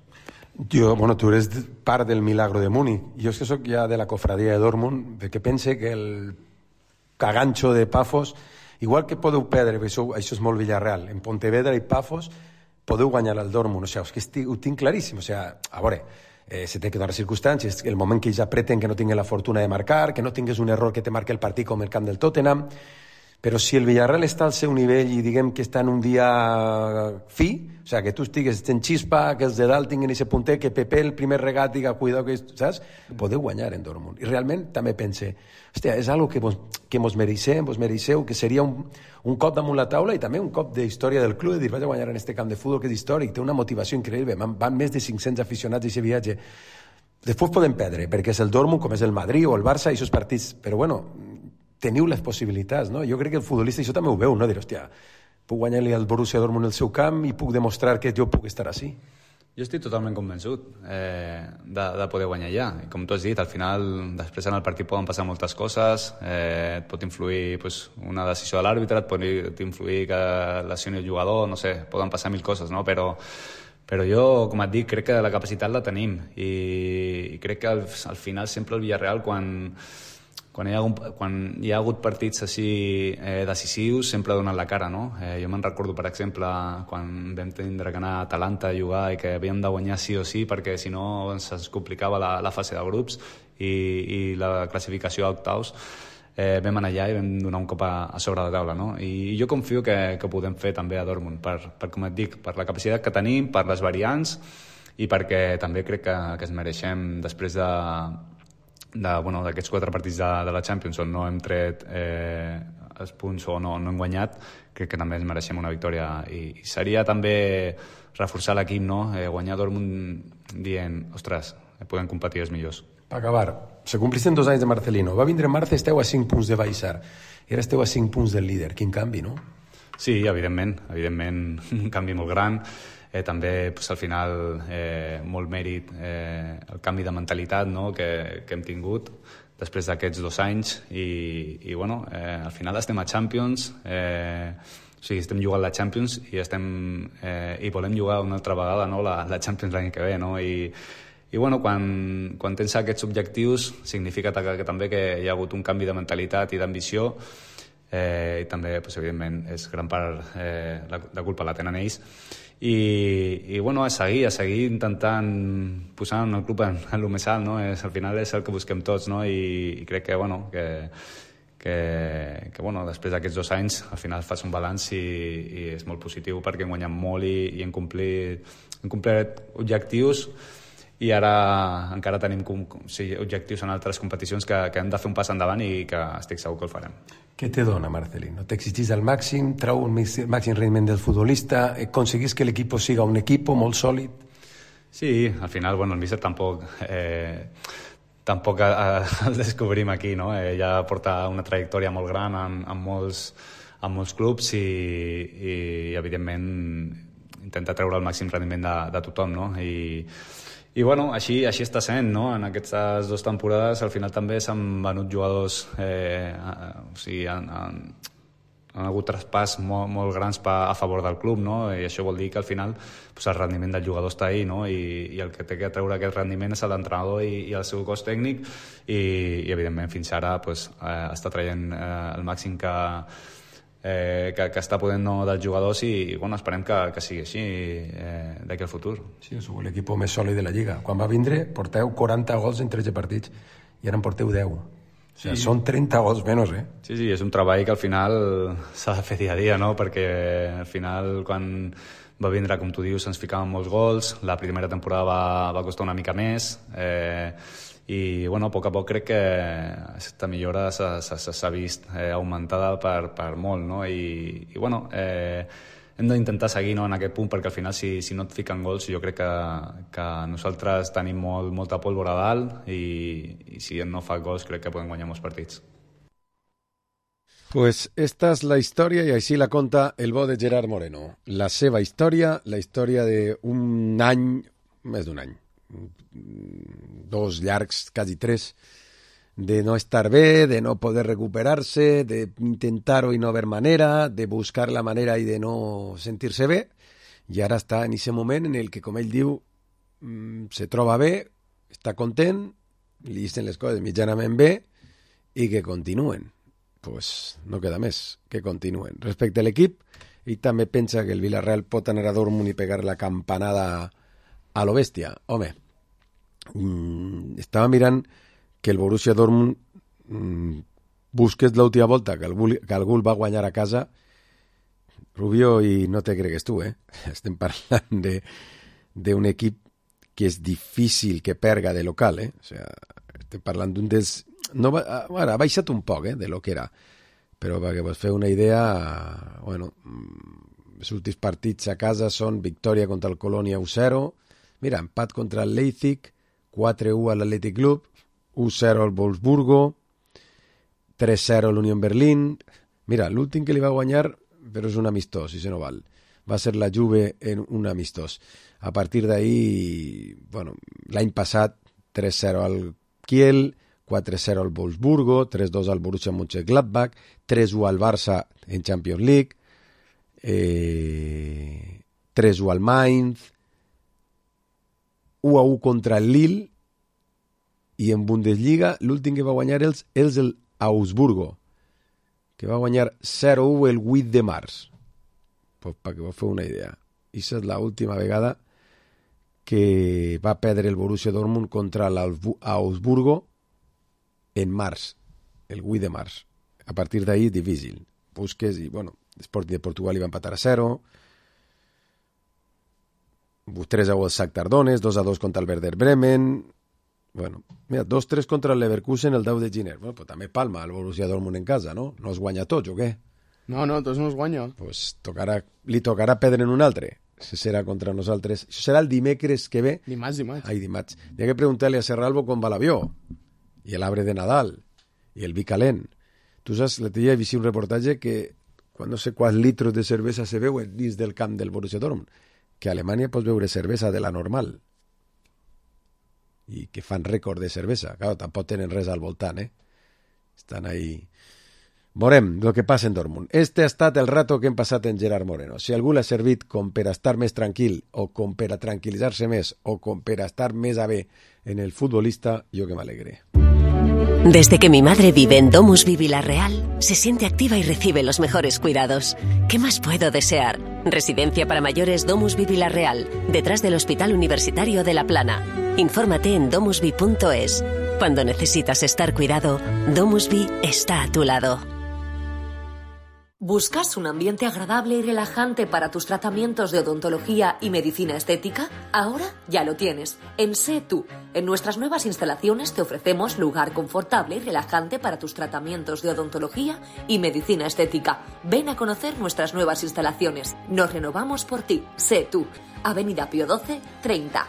Jo, bueno, tu eres part del milagro de Múnich. Jo és que sóc ja de la cofradia de Dortmund, perquè pense que el cagancho de Pafos, igual que podeu perdre, això, això és molt Villarreal, en Pontevedra i Pafos podeu guanyar al Dortmund, o sigui, és que estic, ho tinc claríssim, o sigui, a veure, Eh, se té que donar circumstàncies, el moment que ells apreten que no tinguin la fortuna de marcar, que no tingués un error que te marque el partit com el camp del Tottenham, però si el Villarreal està al seu nivell i diguem que està en un dia fi, o sigui, que tu estigues en xispa, que els de dalt tinguin aquest puntet, que Pepe el primer regat diga, cuidado, que saps? Podeu guanyar en Dortmund. I realment també pense, hòstia, és algo que vos, que mos mereixem, vos mereixeu, que seria un, un cop damunt la taula i també un cop de història del club, de dir, vaig a guanyar en este camp de futbol que és històric, té una motivació increïble, van, van més de cinc-cents aficionats a aquest viatge. Després podem perdre, perquè és el Dortmund, com és el Madrid o el Barça, i aquests partits, però bueno, teniu les possibilitats, no? Jo crec que el futbolista, això també ho veu, no? Dir, hòstia, puc guanyar-li al Borussia Dortmund el seu camp i puc demostrar que jo puc estar així. Jo estic totalment convençut eh, de, de poder guanyar ja. I com tu has dit, al final, després en el partit poden passar moltes coses, eh, et pot influir pues, una decisió de l'àrbitre, et pot influir que lesioni el jugador, no sé, poden passar mil coses, no? Però, però jo, com et dic, crec que la capacitat la tenim i, i crec que al, al final sempre el Villarreal, quan... Quan hi, ha un, quan hi ha hagut partits així eh, decisius, sempre donen la cara, no? Eh, jo me'n recordo, per exemple, quan vam tindre que anar a Atalanta a jugar i que havíem de guanyar sí o sí, perquè si no ens complicava la, la fase de grups i, i la classificació a octaus. eh, vam anar allà i vam donar un cop a, a sobre la taula, no? I jo confio que, que ho podem fer també a Dortmund, per, per, com et dic, per la capacitat que tenim, per les variants, i perquè també crec que, que es mereixem, després de, de, bueno, d'aquests quatre partits de, de la Champions on no hem tret eh, els punts o no, no hem guanyat, crec que també ens mereixem una victòria. I, i seria també reforçar l'equip, no? Eh, guanyar Dortmund dient, ostres, podem competir els millors. Per acabar, se complisten dos anys de Marcelino. Va vindre Marta, esteu a cinc punts de Baixar. I ara esteu a cinc punts del líder. Quin canvi, no? Sí, evidentment. Evidentment, un canvi molt gran. Eh, també, pues, al final, eh, molt mèrit eh, el canvi de mentalitat, no?, que, que hem tingut després d'aquests dos anys. I, i bueno, eh, al final estem a Champions, eh, o sigui, estem jugant la Champions i, estem, eh, i volem jugar una altra vegada, no?, la, la Champions l'any que ve, no? I, i bueno, quan, quan tens aquests objectius significa que, que també que hi ha hagut un canvi de mentalitat i d'ambició, eh, i també, pues, evidentment, és gran part eh, la, la culpa la tenen ells. I, i bueno, a seguir, a seguir intentant posar el club en, en el més alt, no? És, al final és el que busquem tots, no? I, i crec que, bueno, que, que, que bueno, després d'aquests dos anys al final fas un balanç i, i és molt positiu perquè hem guanyat molt i, i hem complit, hem complert objectius, i ara encara tenim com, com, sí, objectius en altres competicions que, que hem de fer un pas endavant i que estic segur que el farem. Què te dona, Marcelino? T'exigís al màxim, trau un màxim rendiment del futbolista, aconseguís que l'equip siga un equip molt sòlid? Sí, al final, bueno, el míster tampoc... Eh, tampoc el descobrim aquí, no? Eh, ja porta una trajectòria molt gran en, en, molts, en molts clubs i, i, evidentment, intenta treure el màxim rendiment de, de tothom, no? I, i bueno, així, així està sent, no? En aquestes dues temporades al final també s'han venut jugadors, eh, o sigui, han, han, han hagut traspàs molt, molt grans pa, a favor del club, no? I això vol dir que al final pues, el rendiment del jugador està ahí, no? I, i el que té que treure aquest rendiment és l'entrenador i, i el seu cos tècnic i, i evidentment fins ara pues, eh, està traient eh, el màxim que, eh, que, que està podent, no, dels jugadors i, i bueno, esperem que, que sigui així eh, d'aquí al futur. Sí, sou l'equip més sòlid de la Lliga. Quan va vindre porteu quaranta gols en tretze partits i ara en porteu deu. O sigui, sí. Són trenta gols menys, eh? Sí, sí, és un treball que al final s'ha de fer dia a dia, no? Perquè al final, quan va vindre, com tu dius, ens ficaven molts gols, la primera temporada va, va costar una mica més, eh, i, bueno, a poc a poc crec que aquesta millora s'ha vist eh, augmentada per, per molt, no? I, i bueno, eh, hem d'intentar seguir, no, en aquest punt, perquè al final si, si no et fiquen gols jo crec que, que nosaltres tenim molt, molta pólvora a dalt i, i si no fa gols crec que podem guanyar molts partits. Pues esta és la història i així la conta el bo de Gerard Moreno. La seva història, la història d'un any, més d'un any, dos llargs, quasi tres, de no estar bé, de no poder recuperar-se, de intentar-ho i no haver manera, de buscar la manera i de no sentir-se bé, i ara està en aquest moment en el que, com ell diu, se troba bé, està content, li dicen les coses mitjanament bé, i que continuen. Pues no queda més, que continuen. Respecte a l'equip, ell també pensa que el Villarreal pot anar a Dortmund i pegar la campanada a lo bèstia. Home, estava mirant que el Borussia Dortmund mmm, busques l'última volta que algú, que algú va guanyar a casa, Rubio, i no te cregues tu, eh? Estem parlant d'un equip que és difícil que perga de local, eh? O sea, estem parlant d'un dels... No, ara, ha baixat un poc, eh, de lo que era, però perquè vos feu una idea, bueno, els últims partits a casa són victòria contra el Colònia u zero, mira, empat contra el Leipzig, quatre u a l'Athletic Club, u zero al Wolfsburgo, tres zero a l'Union Berlin. Mira, l'últim que li va guanyar, però és un amistós, si se no val. Va ser la Juve en un amistós. A partir d'ahí, bueno, l'any passat, tres zero al Kiel, quatre zero al Wolfsburgo, tres dos al Borussia Mönchengladbach, tres u al Barça en Champions League, eh, tres u al Mainz, u a u contra el Lille, i en Bundesliga l'últim que va guanyar és, és el Augsburgo, que va guanyar zero u el vuit de març. Pues perquè vos feu una idea. I és l'última vegada que va perdre el Borussia Dortmund contra l'Augsburgo en març. el vuit de març. A partir d'ahir, difícil. Busques i, bueno, Sporting de Portugal hi va empatar a zero, tres a u al Shakhtar Donetsk, dos a dos contra el Werder Bremen, bueno, mira, dos tres contra el Leverkusen el deu de gener. Bueno, pues també palma el Borussia Dortmund en casa, no? No es guanya tots, o què? No, no, tots no es guanya. Pues tocarà, li tocarà perdre en un altre. Si serà contra nosaltres. Això serà el dimecres que ve. Dimarts, dimarts. Ai, dimarts. Hi ha que preguntar-li a Serralvo com va l'avió. I l'arbre de Nadal. I el vi calent. Tu saps, l'altre dia he vist un reportatge que quan no sé quants litros de cervesa se veuen dins del camp del Borussia Dortmund, que a Alemanya pots veure cervesa de la normal. I que fan rècord de cervesa. Claro, tampoc tenen res al voltant, eh? Estan ahí... Veurem el que passa en Dortmund. Este ha estat el rato que hem passat en Gerard Moreno. Si algú l'ha servit com per a estar més tranquil, o com per a tranquil·litzar-se més, o com per a estar més a bé en el futbolista, jo que m'alegré. Desde que mi madre vive en DomusVi Villarreal, se siente activa y recibe los mejores cuidados. ¿Qué más puedo desear? Residencia para mayores DomusVi Villarreal, detrás del Hospital Universitario de La Plana. Infórmate en domusvi punto es. Cuando necesitas estar cuidado, DomusVi está a tu lado. ¿Buscas un ambiente agradable y relajante para tus tratamientos de odontología y medicina estética? Ahora ya lo tienes. En Sé Tú. En nuestras nuevas instalaciones te ofrecemos lugar confortable y relajante para tus tratamientos de odontología y medicina estética. Ven a conocer nuestras nuevas instalaciones. Nos renovamos por ti. Sé Tú. Avenida Pío doce, treinta.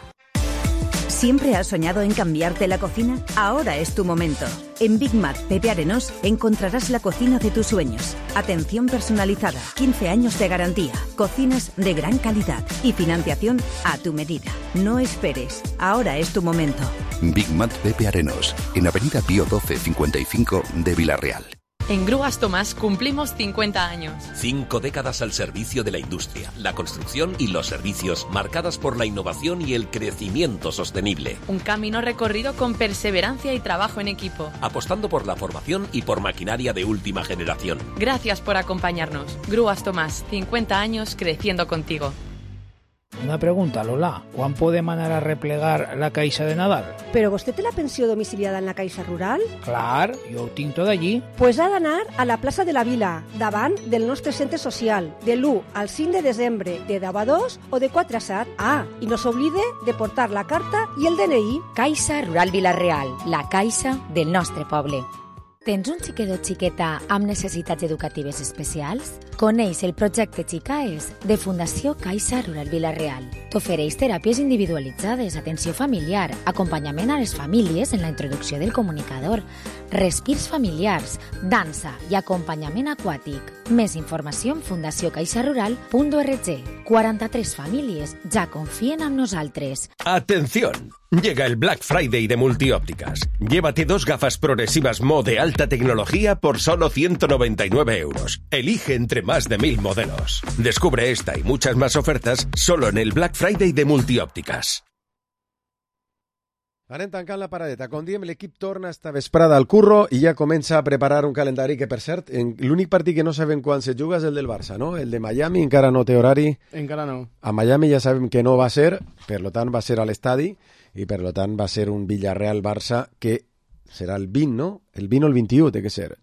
¿Siempre has soñado en cambiarte la cocina? Ahora es tu momento. En Big Mac Pepe Arenós encontrarás la cocina de tus sueños. Atención personalizada, quince años de garantía, cocinas de gran calidad y financiación a tu medida. No esperes, ahora es tu momento. Big Mac Pepe Arenós, en Avenida Pío doce cincuenta y cinco de Villarreal. En Grúas Tomás cumplimos cincuenta años. Cinco décadas al servicio de la industria, la construcción y los servicios, marcadas por la innovación y el crecimiento sostenible. Un camino recorrido con perseverancia y trabajo en equipo. Apostando por la formación y por maquinaria de última generación. Gracias por acompañarnos. Grúas Tomás, cincuenta años creciendo contigo. Una pregunta, Lola. ¿Quan podem anar a replegar la Caixa de Nadal? ¿Pero vostè té la pensió domiciliada en la Caixa Rural? Clar, jo ho tinc tot allí. Pues ha d'anar a la plaça de la Vila, davant del nostre centre social, de l'u al cinc de desembre, de deu a dos o de quatre a set. Ah, i no s'oblide de portar la carta i el D N I. Caixa Rural Vila-real, la caixa del nostre poble. Tens un xiquet o xiqueta amb necessitats educatives especials? Coneix el projecte Xicaes de Fundació Caixa Rural Vila-real. T'ofereix teràpies individualitzades, atenció familiar, acompanyament a les famílies en la introducció del comunicador, respirs familiars, dansa i acompanyament aquàtic. Més informació en fundació caixa rural punt org. quaranta-tres famílies ja confien en nosaltres. ¡Atención! Llega el Black Friday de Multiópticas. Llévate dos gafas progresivas Mo de alta tecnología por solo ciento noventa y nueve euros. Elige entre más de mil modelos. Descubre esta y muchas más ofertas solo en el Black Friday de Multiópticas. Anem tancant la paradeta. Com diem, l'equip torna esta vesprada al curro i ja comença a preparar un calendari que, per cert, l'únic partit que no sabem quan se juga és el del Barça, no? El de Miami encara no té horari. Encara no. A Miami ja sabem que no va ser, per lo tant va ser a l'estadi i per lo tant va ser un Villarreal-Barça que serà el vint, no? El vint o el vint-i-u té que ser,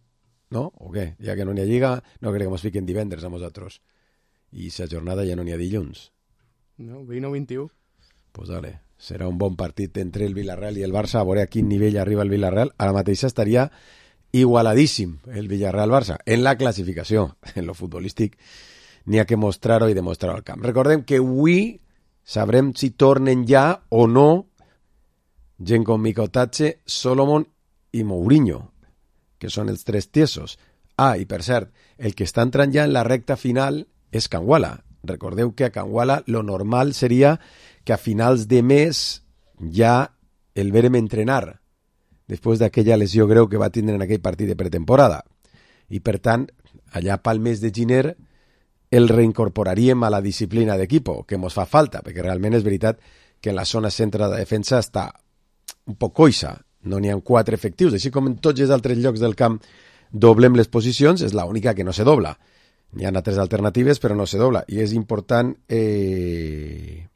no? O què? Ja que no n'hi ha lliga, no crec que ens fiquen divendres a nosaltres. I la jornada ja no n'hi ha dilluns. No, vint o vint-i-u. Pues dale. Serà un bon partit entre el Villarreal i el Barça, a veure a quin nivell arriba el Villarreal. Ara mateix estaria igualadíssim el Villarreal-Barça en la classificació. En lo futbolístic n'hi ha que mostrar-ho i demostrar-ho al camp. Recordem que avui sabrem si tornen ja o no gent com Micotatge, Solomon i Mourinho, que són els tres tiesos. Ah, i per cert, el que està entrant ja en la recta final és Canguala. Recordeu que a Canguala lo normal seria que a finals de mes ja el verem entrenar després d'aquella lesió greu que va tindre en aquell partit de pretemporada. I per tant, allà pel mes de gener el reincorporaríem a la disciplina d'equipo, que mos fa falta, perquè realment és veritat que en la zona centre de defensa està un poc coixa, no n'hi ha quatre efectius, així com en tots els altres llocs del camp doblem les posicions, és l'única que no se dobla. N'hi ha altres alternatives, però no se dobla. I és important eh,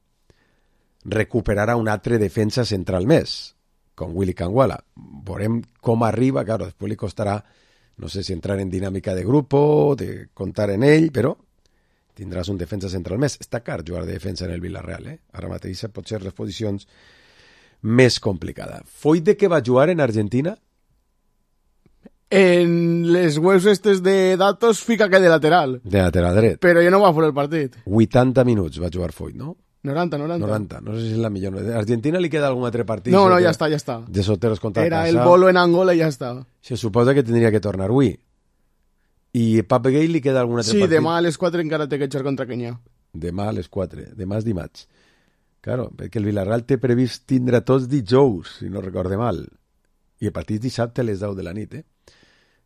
recuperar a un altre defensa central més, con Willy Canguala. Veurem com arriba, claro, després li costarà, no sé si entrar en dinàmica de grupo, de contar en ell, però tindràs un defensa central més. Està car jugar de defensa en el Villarreal, eh? Ara mateix pot ser les posicions més complicada. Foi de que va jugar en Argentina? En les webs estes de datos fica que de lateral. De lateral dret. Però jo no va fer el partit. vuitanta minuts va jugar Foyt, no? noranta, noranta. noranta, no sé si és la millor. A Argentina li queda algun altre partit? No, no, ja està, ja està. De Soteros contra Era casa. el bolo en Angola i ja està. Se suposa que tindria que tornar avui. I Pape Gay li queda algun altre sí, partit? Sí, demà a les quatre encara té que jugar contra Kenya. Demà a les quatre, demà és dimarts. Claro, perquè el Villarreal té previst tindre tots dijous, si no recorde mal. I el partit dissabte a les deu de la nit, eh?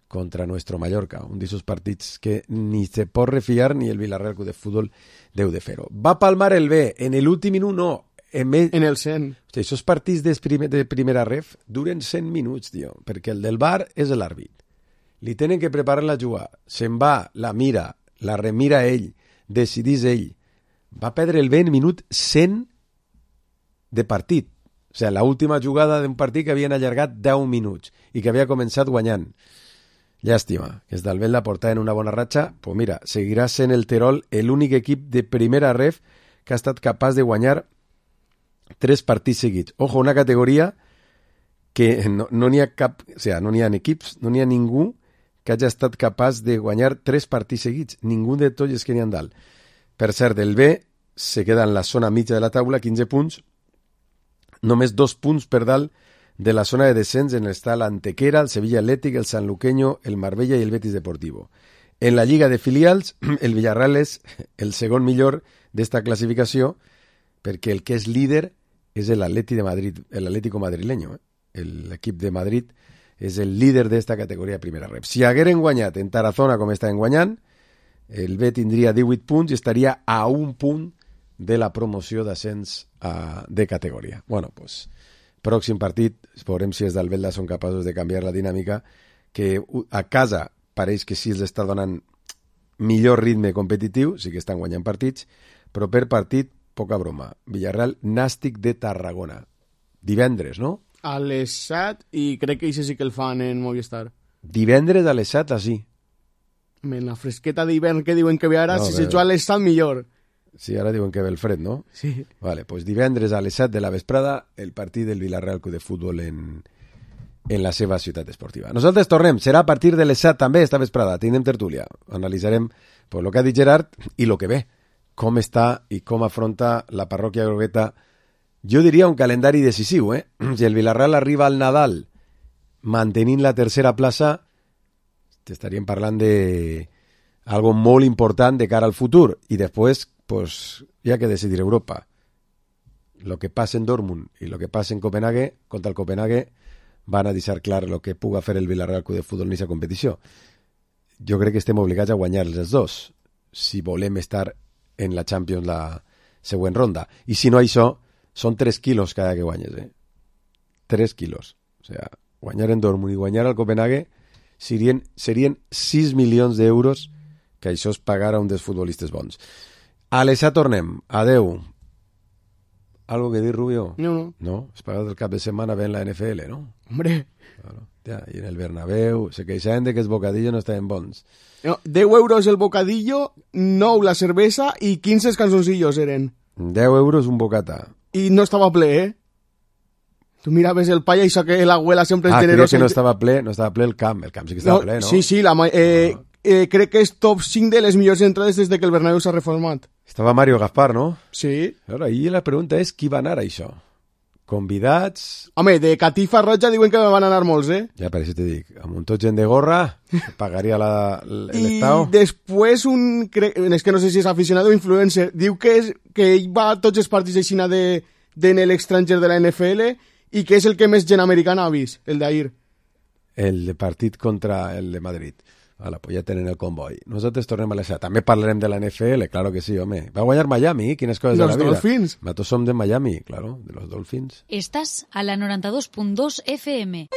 Contra Nuestro Mallorca, un d'aquests partits que ni se pot refiar ni el Villarreal Club de Futbol deu de fer-ho. Va palmar el B, en l'últim minut no. En, me... en el cent. Hosti, aquests partits de, primer, de primera ref duren cent minuts, tio, perquè el del V A R és l'àrbit. Li tenen que preparar la jugada. Se'n va, la mira, la remira ell, decidís ell. Va perdre el B en minut cent de partit. O sigui, l'última jugada d'un partit que havien allargat deu minuts i que havia començat guanyant. Llàstima, que es d'Albel la portada en una bona ratxa, pues mira, seguirà sent el Terol l'únic equip de primera ref que ha estat capaç de guanyar tres partits seguits. Ojo, una categoria que no n'hi no ha cap, o sigui, no n'hi ha equips, no n'hi ha ningú que hagi estat capaç de guanyar tres partits seguits. Ningú de tots els que n'hi ha dalt. Per cert, el B se queda en la zona mitja de la taula, quinze punts, només dos punts per dalt de la zona de descens en està l'Antequera, el Sevilla Athletic, el Sanluqueño, el Marbella i el Betis Deportivo. En la Lliga de Filials, el Villarreal és el segon millor d'esta classificació perquè el que és líder és l'Atleti de Madrid, l'Atlético madrileño. Eh? L'equip de Madrid és el líder d'esta categoria de primera rep. Si hagueren guanyat en Tarazona com estaven guanyant, el B tindria divuit punts i estaria a un punt de la promoció d'ascens de categoria. Bueno, pues... Pròxim partit, veurem si els d'Albelda són capaços de canviar la dinàmica, que a casa pareix que sí els està donant millor ritme competitiu, sí que estan guanyant partits, però per partit, poca broma. Villarreal, Nàstic de Tarragona. Divendres, no? A les set, i crec que això sí que el fan en Movistar. Divendres a les set, així. En la fresqueta d'hivern que diuen que ve ara, no, si se juga a les set, millor. Sí, ara diuen que ve el fred, no? Sí. Vale, pues divendres a les set de la vesprada el partit del Villarreal Club de Futbol en, en la seva ciutat esportiva. Nosaltres tornem, serà a partir de les set també esta vesprada, tindrem tertúlia. Analitzarem pues, lo que ha dit Gerard i lo que ve, com està i com afronta la parròquia grogueta. Jo diria un calendari decisiu, eh? Si el Villarreal arriba al Nadal mantenint la tercera plaça, t'estaríem parlant de algo molt important de cara al futur i després pues hi ha que decidir Europa. Lo que passa en Dortmund i lo que passa en Copenhague, contra el Copenhague, van a deixar clar lo que puga fer el Villarreal Club de Futbol en aquesta competició. Jo crec que estem obligats a guanyar els dos, si volem estar en la Champions la següent ronda. I si no això, són tres quilos cada que guanyes, eh? tres quilos. O sigui, guanyar en Dortmund i guanyar al Copenhague serien, serien sis milions d'euros que això es pagar a un dels futbolistes bons. A l'Esa tornem. Adeu. ¿Algo que dir, Rubio? No, no. No, es pagat el cap de setmana ve en la N F L, ¿no? Hombre. Claro. Ja, i en el Bernabéu se queixaven de que els bocadillos no estaven bons. No, deu euros el bocadillo, nou la cervesa i quinze canzoncillos eren. deu euros un bocata. I no estava ple, eh? Tu miraves el palla i això que l'abuela sempre és ah, generosa. Ah, que no estava ple, no estava ple el camp. El camp sí que estava no, ple, no? Sí, sí, la, eh, no. eh, crec que és top cinc de les millors entrades des de que el Bernabéu s'ha reformat. Estava Mario Gaspar, no? Sí. Ahora, i la pregunta és qui va anar a això? Convidats... Home, de catifa roja diuen que van anar molts, eh? Ja, per això te dic, amb un tot gent de gorra, pagaria l'Estado. I després un... Cre... És que no sé si és aficionat o influencer. Diu que, és, que ell va a tots els partits aixina de, de en l'estranger de la N F L i que és el que més gent americana ha vist, el d'ahir. El de partit contra el de Madrid. Ala, pues ja tenen el comboi. Nosaltres tornem a l'Esa. També parlarem de la N F L, claro que sí, home. Va guanyar Miami, quines coses los de la vida. Los Dolphins. Nosaltres som de Miami, claro, de los Dolphins. Estás a la noranta dos punt dos F M.